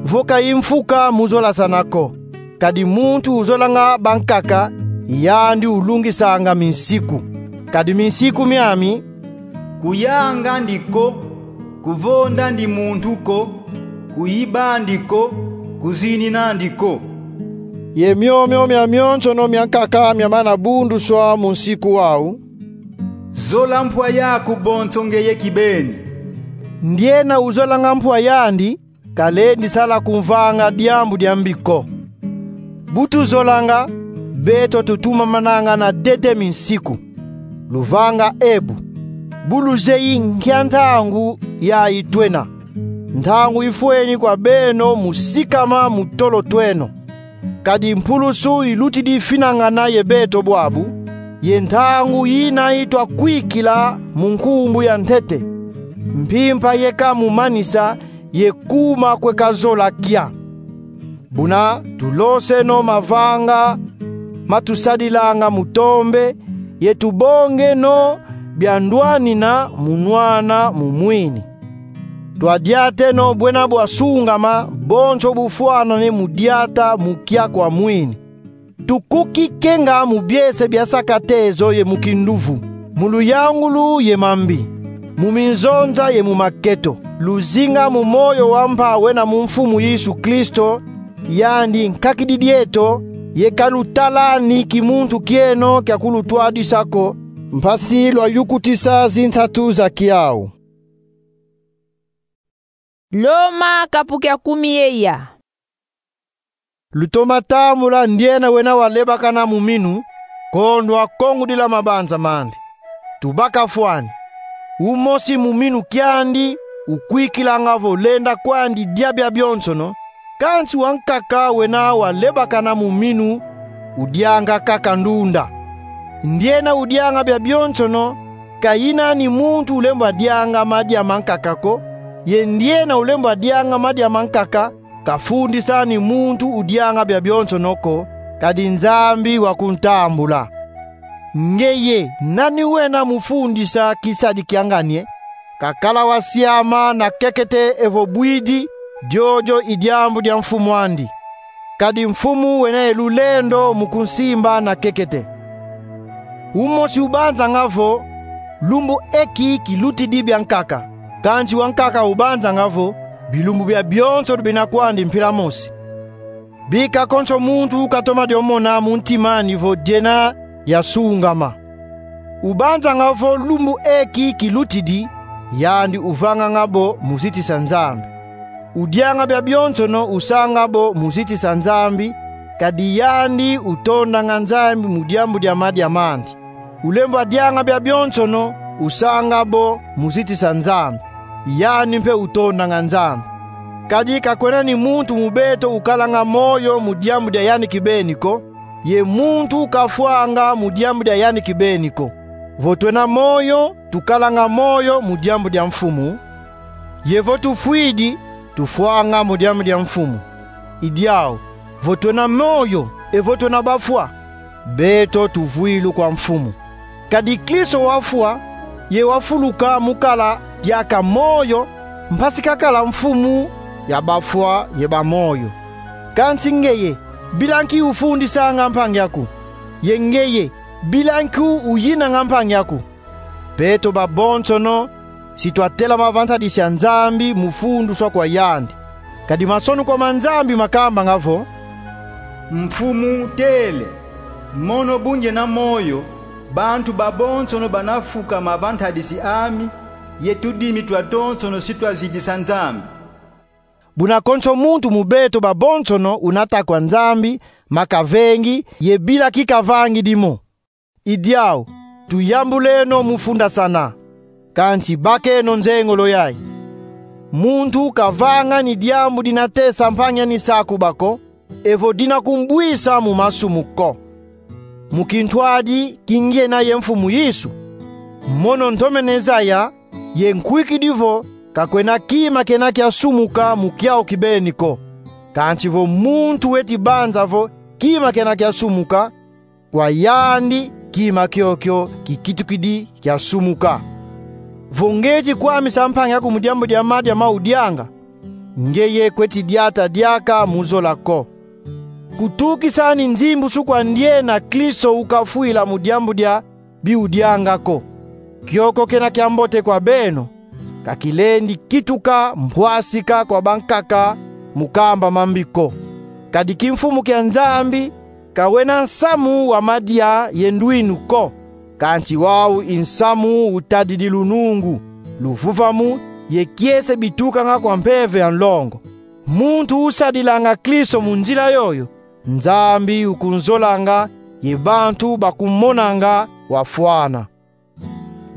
vo ka i mfuka mu zolasana ko. Kadi muntu uzolanga bankaka, yandi ulungisanga minsiku. Kadi minsiku miami: kuyangandi ko, kuvondandi muntu ko, kuyibandi ko, kuzininandi ko. Ye miomio miamionsono miankaka miamana bunduswa mu nsiku wau: zola mpwa yaku bonso ngeye kibeni. Ndiena uzolanga mpwa yandi, kalendi sala kumvanga diambu dia mbi ko. Bu tuzolanga, beto tutumamananga na dede minsiku. Luvanga ebu, bu luzeyi nkia ntangu yayi twena. Ntangu ifweni kwa beno mu sikama mu tolo tweno. Kadi mpulusu ilutidi finangana ye beto bwabu, ye ntangu yina itwa kwikila mu nkumbu ya ntete. Mpimpa yeka mu manisa, ye kuma kwe kazola kia. Buna tuloseno mavanga ma tusadilanga mu tombe, ye tubongeno bia ndwanina mu nwana mu mwini. Twadiateno bwena bwa sungama, bonso bufwanane mu diata mu kia kwa mwini. Tukuki kenga mu biese bia saka tezo ye mu kinduvu, mu luyangulu ye mambi, mu minzonza ye mu maketo. Luzinga mu moyo wa mpa wena mu Mfumu Yesu Kristo, yandi nkakididi eto, ye kalutalani kimuntu kieno kia kulutwadisa ko, mpasi lwayukutisa zinsatu za kiau. Loma kapu kia kumi ye ya. Lutoma tambula ndiena wena walebakana mu minu, kondwa kongudila mabanza mandi. Tubaka fwani. Umosi mu minu kiandi ukwikilanga vo lenda kwandi dia biabionsono, kansi wankaka wena walebakana mu minu udianga kaka ndunda. Ndiena udianga biabionsono, ka yina ni muntu ulembwa dianga madia mankaka ko, ye ndiena ulembwa dianga madia mankaka, kafundisa ni muntu udianga biabionsono ko, kadi Nzambi wakuntambula. Ngeye nani wena mu fundisa kisadi kia ngani e? Kakala wasiama na kekete evo bwidi, diodio i diambu dia mfumu andi. Kadi Mfumu wena ye lulendo mu kunsimba na kekete. Umosi ubanzanga vo: lumbu eki kilutidi biankaka. Kansi wankaka ubanzanga vo: bilumbu biabionso bina kwandi mpila mosi. Bika konso muntu katoma dio mona mu ntima andi vo diena diasungama. Ubanzanga vo lumbu eki kilutidi, yandi uvanganga bo mu zitisa Nzambi. Udianga biabionsono usanga bo mu zitisa Nzambi, kadi yandi utondanga Nzambi mu diambu dia madia mandi. Ulembwa dianga biabionsono usanga bo mu zitisa Nzambi, yandi mpe utondanga Nzambi. Kadi ka kwena ni muntu mu beto ukalanga moyo mu diambu dia yandi kibeni ko, ye muntu kafwanga mu diambu dia yandi kibeni ko. Vo twena moyo, tukalanga moyo mu diambu dia Mfumu, ye vo tufwidi, tufwanga mu diambu dia Mfumu. I diau, vo twena moyo, evo twena bafwa, Beto tuvwilu kwa Mfumu. Kadi Kristo wafwa, ye wafuluka mu kala diaka moyo, mpasi kakala Mfumu ya bafwa ye bamoyo. Kansi ngeye, bila nki ufundisanga mpangi aku? Ye ngeye, bila nki uyinanga mpangi aku? Beto babonsono si twatelama va ntadisi ya Nzambi mu funduswa kwa yandi. Kadi masonukwa ma Nzambi makambanga vo: Mfumu tele, mono bu ngiena moyo, bantu babonsono bana fukama va ntadisi ami, ye tudimi twatonsono si twazidisa Nzambi. Buna konso muntu mu beto babonsono una ta kwa Nzambi, ma kavengi, ye bila nki kavangidi mo. I diau, tuyambuleno mu fundasana, kansi bakeno nzengolo yayi. Muntu kavanga ni diambu dina tesa mpangi ani sakuba ko, evo dina kumbwisa mu masumu ko. Mu kintwadi ki ngiena ye Mfumu Yesu, mono ntomene zaya ye nkwikidi vo ka kwena kima kena kiasumuka mu kiau kibeni ko. Kansi vo muntu weti banza vo kima kena kiasumuka, kwa yandi kima kiokio kikitukidi kiasumuka. Vo ngeti kwamisa mpangi aku mu diambu dia madia ma udianga, ngeye kweti diata diaka mu zola ko. Kutukisa ni nzimbusu kwa ndiena Kristo ukafwila mu diambu dia bi udianga ko. Kiokio kena kiambote kwa beno, ka kilendi kituka mpwasika kwa bankaka mu kamba mambi ko. Kadi kimfumu kia Nzambi ka wena nsamu wa madia ye ndwinu ko, kansi wau i nsamu utadidi lunungu, luvuvamu, ye kiese bitukanga kwa Mpeve ya nlongo. Muntu usadilanga Kristo mu nzila yoyo, Nzambi ukunzolanga, ye bantu bakumonanga wafwana.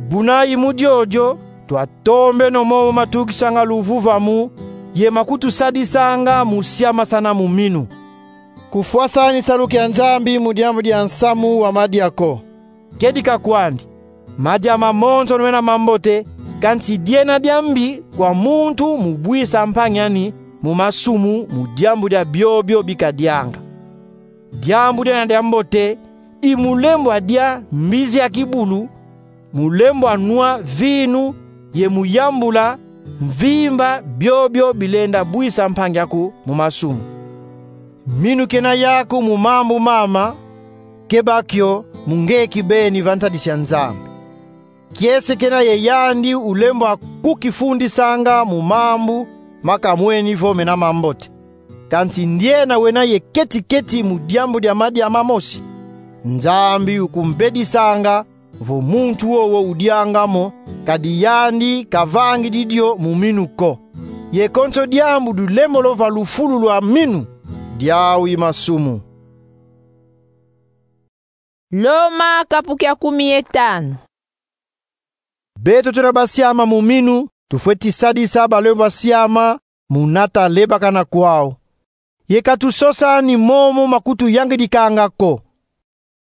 Buna i mu diodio, twatombeno momo matukisanga luvuvamu, ye makutusadisanga mu siamasana mu minu. Kufwasani salu kia Nzambi mu diambu dia nsamu wa madia ko. Kedika kwandi, madia mamonsono mena mambote, kansi diena diambi kwa muntu mu bwisa mpangi ani mu masumu mu diambu dia biobio bikadianga. Diambu diena diambote i mu lembwa dia mbizi ya kibulu, mu lembwa nwa vinu, ye mu yambula mvimba biobio bilenda bwisa mpangi aku mu masumu. Minu kena yaku mu mambu mama, keba kio mu nge kibeni va ntadisi ya Nzambi. Kiese kena ye yandi ulembwa kukifundisanga mu mambu ma kamweni vo mena mambote. Kansi ndiena wena ye keti-keti mu diambu dia madia mamosi, Nzambi ukumbedisanga vo muntu wowo udianga mo, kadi yandi kavangidi dio mu minu ko. Ye konso diambu dulembolo va lufulu lwa minu, diau i masumu. Loma kapu kia kumi ye tanu. Beto tuna basiama mu minu, tufweti sadisa balembwa siama mu nata lebakana kwau. Ye ka tusosa ni momo makutuyangidikanga ko.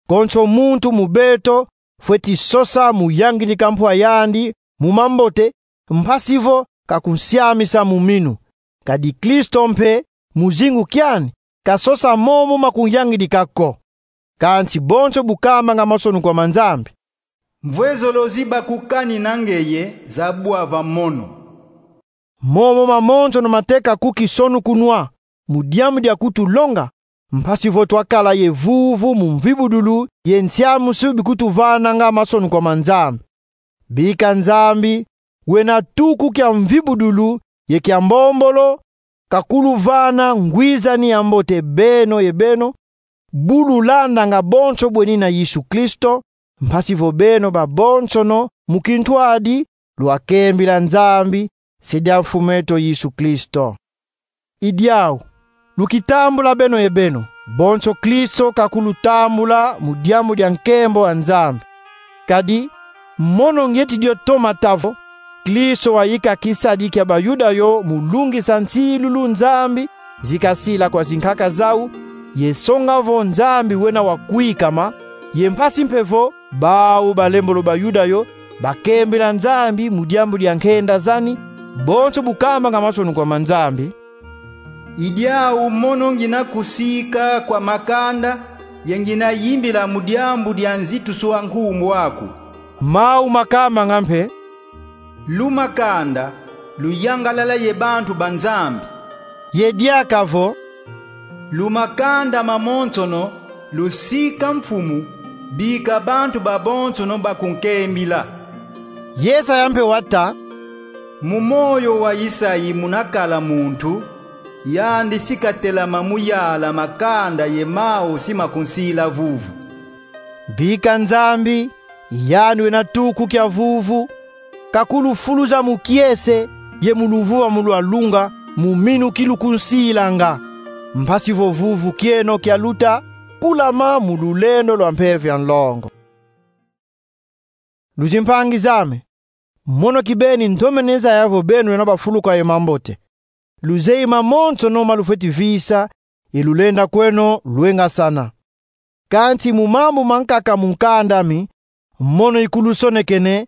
Konso muntu mu beto fweti sosa mu yangidika mpwa yandi mu mambote, mpasi vo ka kunsiamisa mu minu. Kadi Kristo mpe, mu zingu kiani, ka sosa momo makunyangidika ko. Kansi bonso bu kambanga masonukwa ma Nzambi: Mvwezolozi bakukanina ngeye za bwa va mono. Momo mamonsono mateka kukisonukunwa mu diambu dia kutulonga, mpasi vo twakala ye vuvu mu mvibudulu ye nsiamusu bikutuvananga masonukwa ma Nzambi. Bika Nzambi, wena tuku kia mvibudulu ye kia mbombolo, kakuluvana ngwizani ya mbote beno ye beno, bu lulandanga bonso bwenina Yesu Kristo, mpasi vo beno babonsono mu kintwadi lwakembila Nzambi, se dia Mfumu eto Yesu Kristo. I diau, lukitambula beno ye beno, bonso Kristo kakulutambula mu diambu dia nkembo a Nzambi. Kadi, mono ngeti dio toma ta vo, Kristo wayika kisadi kia Bayuda yo mu lungisa nsilulu Nzambi zikasila kwa zinkaka zau, ye songa vo Nzambi wena wa kwikama, ye mpasi mpe vo bau balembolo Bayuda yo bakembila Nzambi mu diambu dia nkenda zani, bonso bu kambanga masonukwa ma Nzambi: I diau mono ngina kusika kwa makanda, ye ngina yimbila mu diambu dia nzitusu a nkumbu aku. Mau makambanga mpe: Luma kanda, luyangalala ye bantu ba Nzambi. Ye diaka vo: Luma kanda mamonsono, lusika Mfumu, bika bantu babonsono bakunkembila. Yesaya mpe wata: Mu moyo wa Isayi munakala muntu, yandi si katelama mu yala makanda ye mau si makunsila vuvu. Bika Nzambi, yandi wena tuku kia vuvu, kakulufuluza mu kiese ye mu luvuvamu lwa lunga, mu minu ki lukunsilanga, mpasi vo vuvu kieno kialuta kulama mu lulendo lwa mpeve ya nlongo. Luzimpangi zame, mono kibeni ntomene zaya vo beno wena bafuluka ye mambote. Luzeyi mamonsono ma lufweti visa, ye lulenda kweno lwengasana. Kansi mu mambu mankaka mu nkanda mi, mono ikulusonekene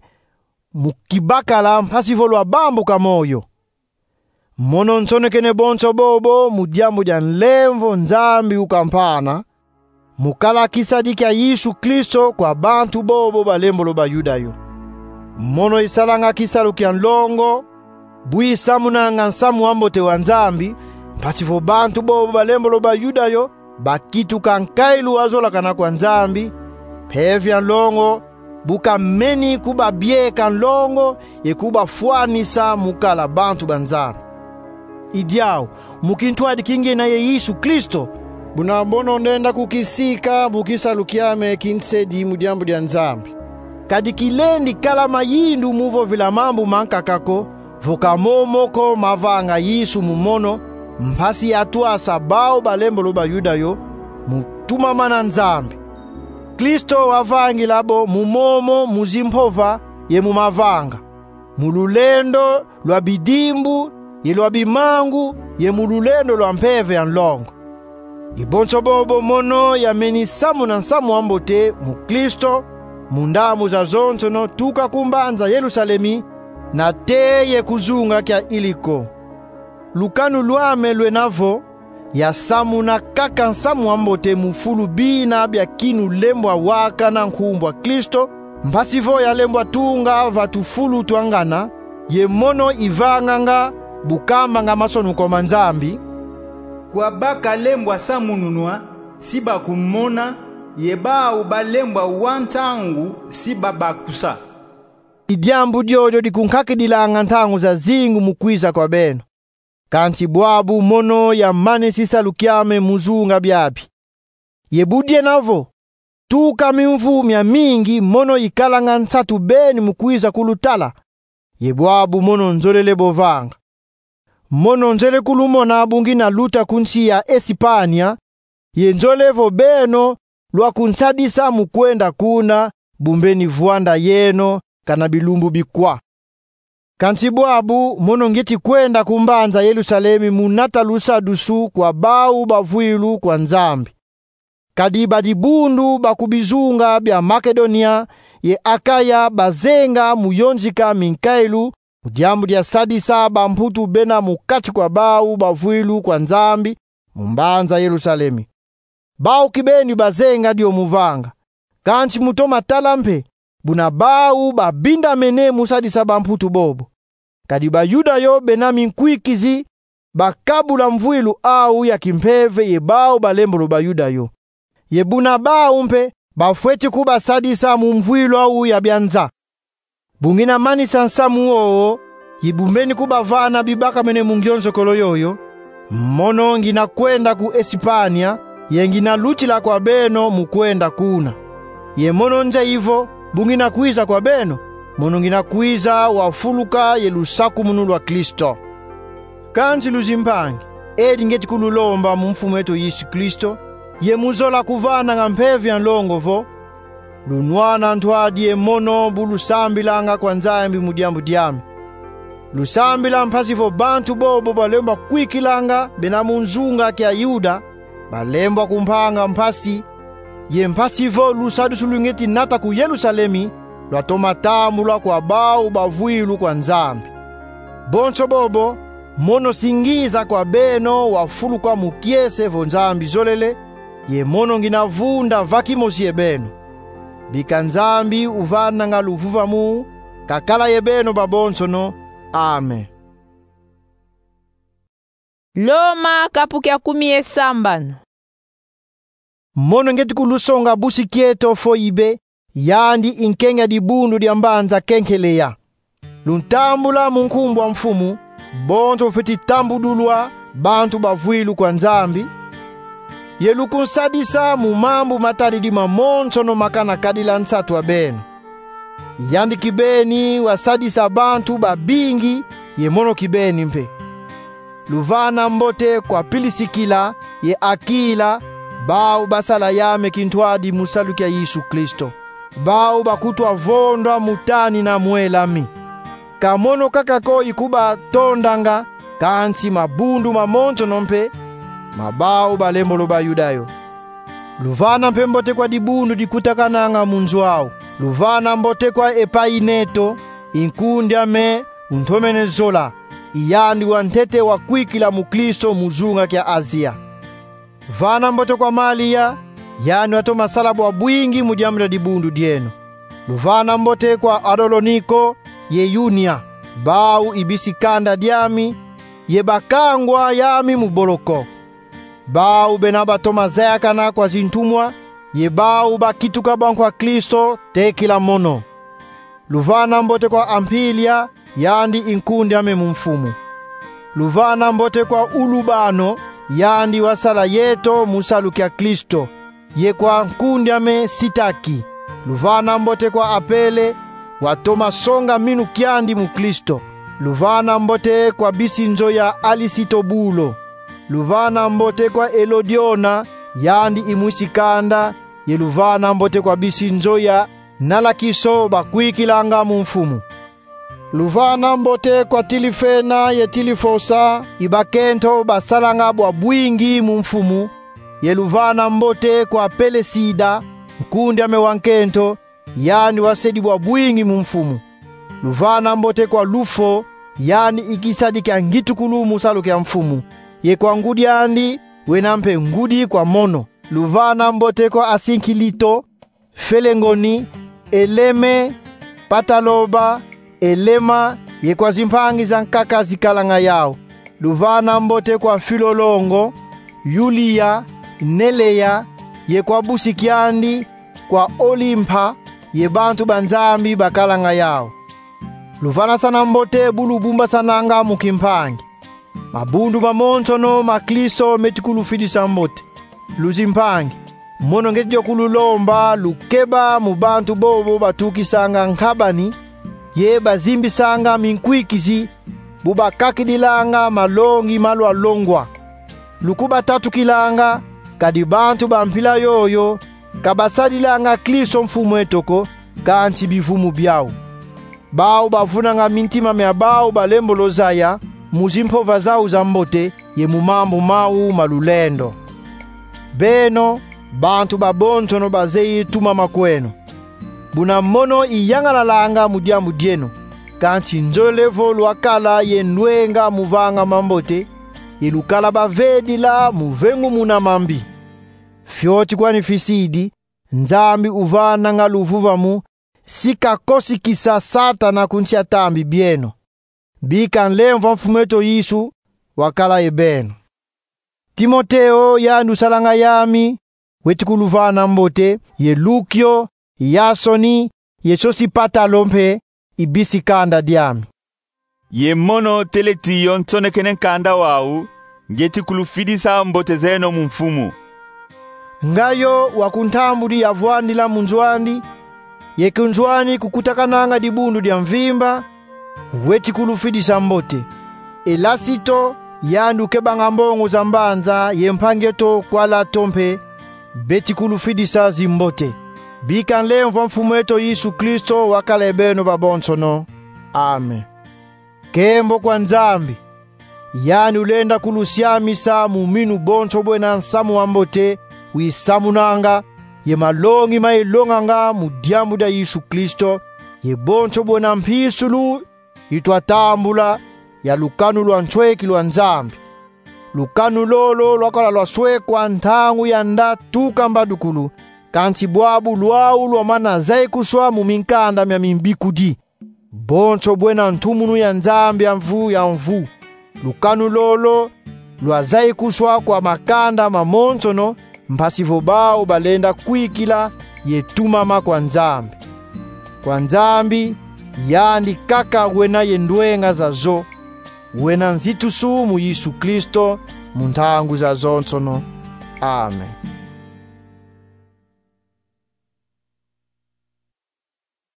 mu kibakala mpasi vo lwabambuka moyo. Mono nsonekene bonso bobo mu diambu dia nlemvo Nzambi ukampana, mu kala kisadi kia Yesu Kristo kwa bantu bobo balembolo Bayuda yo. Mono isalanga kisalu kia nlongo, bu isamunanga nsamu wa mbote wa Nzambi, mpasi vo bantu bobo balembolo Bayuda yo bakituka nkailu wa zolakana kwa Nzambi, mpeve ya nlongo bu kameni kubabieka nlongo ye kubafwanisa mu kala bantu ba Nzambi. I diau, mu kintwadi ki ngiena ye Yesu Kristo, buna mono ndenda kukisika mu kisalu kiame ki nsedi mu diambu dia Nzambi. Kadi kilendi kala mayindu mu vovila mambu mankaka ko, vo ka momo ko mavanga Yesu mu mono, mpasi atwasa bau balembolo Bayuda yo mu tumamana Nzambi. Kristo wavangila bo mu momo mu zimpova ye mu mavanga, mu lulendo lwa bidimbu ye lwa bimangu ye mu lulendo lwa mpeve ya nlongo. I bonso bobo mono yameni samuna nsamu wa mbote mu Kristo, mu ndambu zazonsono tuka ku mbanza Yerusalemi, nate ye ku zunga kia Iliko. Lukanu lwame lwena vo, yasamuna kaka nsamu wa mbote mu fulu bina bia kinu lembwa wakana nkumbu a Kristo, mpasi vo yalembwa tunga va tufulu twa ngana, ye mono ivanganga bu kambanga masonuko ma Nzambi: Kwa ba kalembwa samununwa, si bakumona, ye bau balembwa wa nsangu, si babakusa. I diambu diodio dikunkakidilanga ntangu zazingu mu kwiza kwa beno. Kansi bwabu mono yamanisi salu kiame mu zunga biabi. Ye bu diena vo, tuka mimvu miamingi mono ikalanga nsatu beni mu kwiza kulutala, ye bwabu mono nzolele bo vanga. Mono nzele kulumona bu ngina luta ku nsi ya Esipania, ye nzole vo beno lwakunsadisa mu kwenda kuna, bu mbeni vwanda yeno kana bilumbu bikwa. Kansi bwabu mono ngieti kwenda ku mbanza Yerusalemi mu nata lusadusu kwa bau bavwilu kwa Nzambi. Kadi ba dibundu ba ku bizunga bia Makedonia ye Akaya bazenga mu yonzika minkailu mu diambu dia sadisa bamputu bena mu kati kwa bau bavwilu kwa Nzambi mu mbanza Yerusalemi. Bau kibeni bazenga dio mu vanga, kansi mu toma tala mpe, buna bau babindamene mu sadisa bamputu bobo. Kadi Bayuda yo bena minkwikizi bakabula mvwilu au ya kimpeve ye bau balembolo Bayuda yo. Ye buna bau mpe bafweti kubasadisa mu mvwilu au ya bia nza. Bu ngina manisa nsamu wowo, ye bu mbeni kubavana bibakamene mu ngionzokolo yoyo, mono ngina kwenda ku Esipania, ye ngina lutila kwa beno mu kwenda kuna. Ye mono nzeyi vo, bu ngina kwiza kwa beno, mono ngina kwiza wafuluka ye lusakumunu lwa Kristo. Kansi luzimpangi, edi ngieti kululomba mu Mfumu eto Yesu Kristo, ye mu zola kuvananga mpeve ya nlongo vo, lunwana ntwadi ye mono bu lusambilanga kwa Nzambi mu diambu diame. Lusambila mpasi vo bantu bobo balembwa kwikilanga bena mu nzunga kia Yuda, balembwa kumpanga mpasi, ye mpasi vo lusadusu lu ngieti nata ku Yerusalemi, lwatoma tambulwa kwa bau bavwilu kwa Nzambi. Bonso bobo, mono singiza kwa beno wafuluka mu kiese vo Nzambi zolele, ye mono ngina vunda va kimosi ye beno. Bika Nzambi uvananga luvuvamu kakala ye beno babonsono. Amen. Loma kapu kia kumi ye sambanu. Mono ngieti kulusonga busi kieto Foibe, yandi i nkenga dibundu dia mbanza Kenkelea. Luntambula mu nkumbu a Mfumu, bonso bufweti tambudulwa bantu bavwilu kwa Nzambi, ye lukunsadisa mu mambu matadidi mamonsono makana kadila nsatu a beno. Yandi kibeni wasadisa bantu babingi, ye mono kibeni mpe. Luvana mbote kwa Pilisikila ye Akila, bau basala yame kintwadi mu salu kia Yesu Kristo. Bau bakutwa vondwa mu tanina mwelami. Ka mono kaka ko ikubatondanga, kansi mabundu mamonsono mpe, ma bau balembolo Bayuda yo. Luvana mpe mbote kwa dibundu dikutakananga mu nzo au. Luvana mbote kwa Epaineto, i nkundi ame untomene zola, i yandi wantete wakwikila mu Kristo mu zunga kia Azia. Vana mbote kwa Malia, yandi watoma sala bwa bwingi mu diambu dia dibundu dieno. Luvana mbote kwa Adoloniko ye Yunia, bau i bisi kanda diami, ye bakangwa yami mu boloko. Bau bena batoma zayakana kwa zintumwa, ye bau bakituka bankwa Kristo, tekila mono. Luvana mbote kwa Ampilia, yandi i nkundi ame mu Mfumu. Luvana mbote kwa Ulubano, yandi wasala yeto mu salu kia Kristo, ye kwa nkundi ame Sitaki. Luvana mbote kwa Apele, watoma songa minu kiandi mu Kristo. Luvana mbote kwa bisi nzo ya Alisitobulo. Luvana mbote kwa Elodiona, yandi i mwisi kanda, ye luvana mbote kwa bisi nzo ya Nalakiso bakwikilanga mu Mfumu. Luvana mbote kwa Tilifena ye Tilifosa, i bakento basalanga bwa bwingi mu Mfumu, ye luvana mbote kwa Pelesida, nkundi ame wa nkento, yandi wasedi bwa bwingi mu Mfumu. Luvana mbote kwa Lufo, yandi i kisadi kia ngitukulu mu salu kia Mfumu, ye kwa ngudi andi, wena mpe ngudi kwa mono. Luvana mbote kwa Asinkilito, Felengoni, Eleme, Pataloba, Elema, ye kwa zimpangi zankaka zikalanga yau. Luvana mbote kwa Filolongo, Yulia, Nelea, ye kwa busi kiandi, kwa Olimpa, ye bantu ba Nzambi bakalanga yau. Luvanasana mbote bu lubumbasananga mu kimpangi. Mabundu mamonsono ma Kristo meti kulufidisa mbote. Luzimpangi, mono ngieti dio kululomba lukeba mu bantu bobo batukisanga nkabani, ye bazimbisanga minkwikizi, bu bakakidilanga malongi ma lwalongwa. Lukubatatukilanga, kadi bantu ba mpila yoyo ka basadilanga Kristo Mfumu eto ko, kansi bivumu biau. Bau bavunanga mintima mia bau balembolo zaya mu zimpova zau za mbote ye mu mambu mau ma lulendo. Beno, bantu babonsono bazeyi tumama kweno. Buna mono iyangalalanga mu diambu dieno, kansi nzolele vo lwakala ye ndwenga mu vanga mambote, ye lukala bavedila mu vengumuna mambi. Fioti kwani fisidi, Nzambi uvananga luvuvamu, si kakosikisa Satana ku nsi a tambi bieno. Bika nlemvo a Mfumu eto Yesu wakala ye beno. Timoteo yandi usalanga yami, weti kuluvana mbote, ye Lukio, Yasoni, ye Sosipatalo mpe, i bisi kanda diami. Ye mono Teletio nsonekene nkanda wau, ngieti kulufidisa mbote zeno mu Mfumu. Ngayo wa ku ntambudi yavwandila mu nzo andi, ye ku nzo ani kukutakananga dibundu dia mvimba, weti kulufidisa mbote. Elasito, yandi ukebanga mbongo za mbanza, ye mpangi eto Kwalato mpe, beti kulufidisa zimbote. Bika nlemvo a Mfumu eto Yesu Kristo wakala ye beno babonsono. Amen. Nkembo kwa Nzambi. Yandi ulenda kulusiamisa mu minu bonso bwena nsamu wa mbote wisamunanga, ye malongi ma ilonganga mu diambu dia Yesu Kristo, ye bonso bwena mpisulu itwatambula ya lukanu lwa nsweki lwa Nzambi. Lukanu lolo lwakala lwaswekwa ntangu ya nda tuka mbadukulu, kansi bwabu lwau lwamana zaikuswa mu minkanda mia mimbikudi. Bonso bwena ntumunu ya Nzambi ya mvu ya mvu. Lukanu lolo lwazaikuswa kwa makanda mamonsono, mpasi vo bau balenda kwikila ye tumama kwa Nzambi. Kwa Nzambi, yandi kaka wena ye ndwenga zazo, wena nzitusu mu Yesu Kristo, mu ntangu zazonsono. Amen.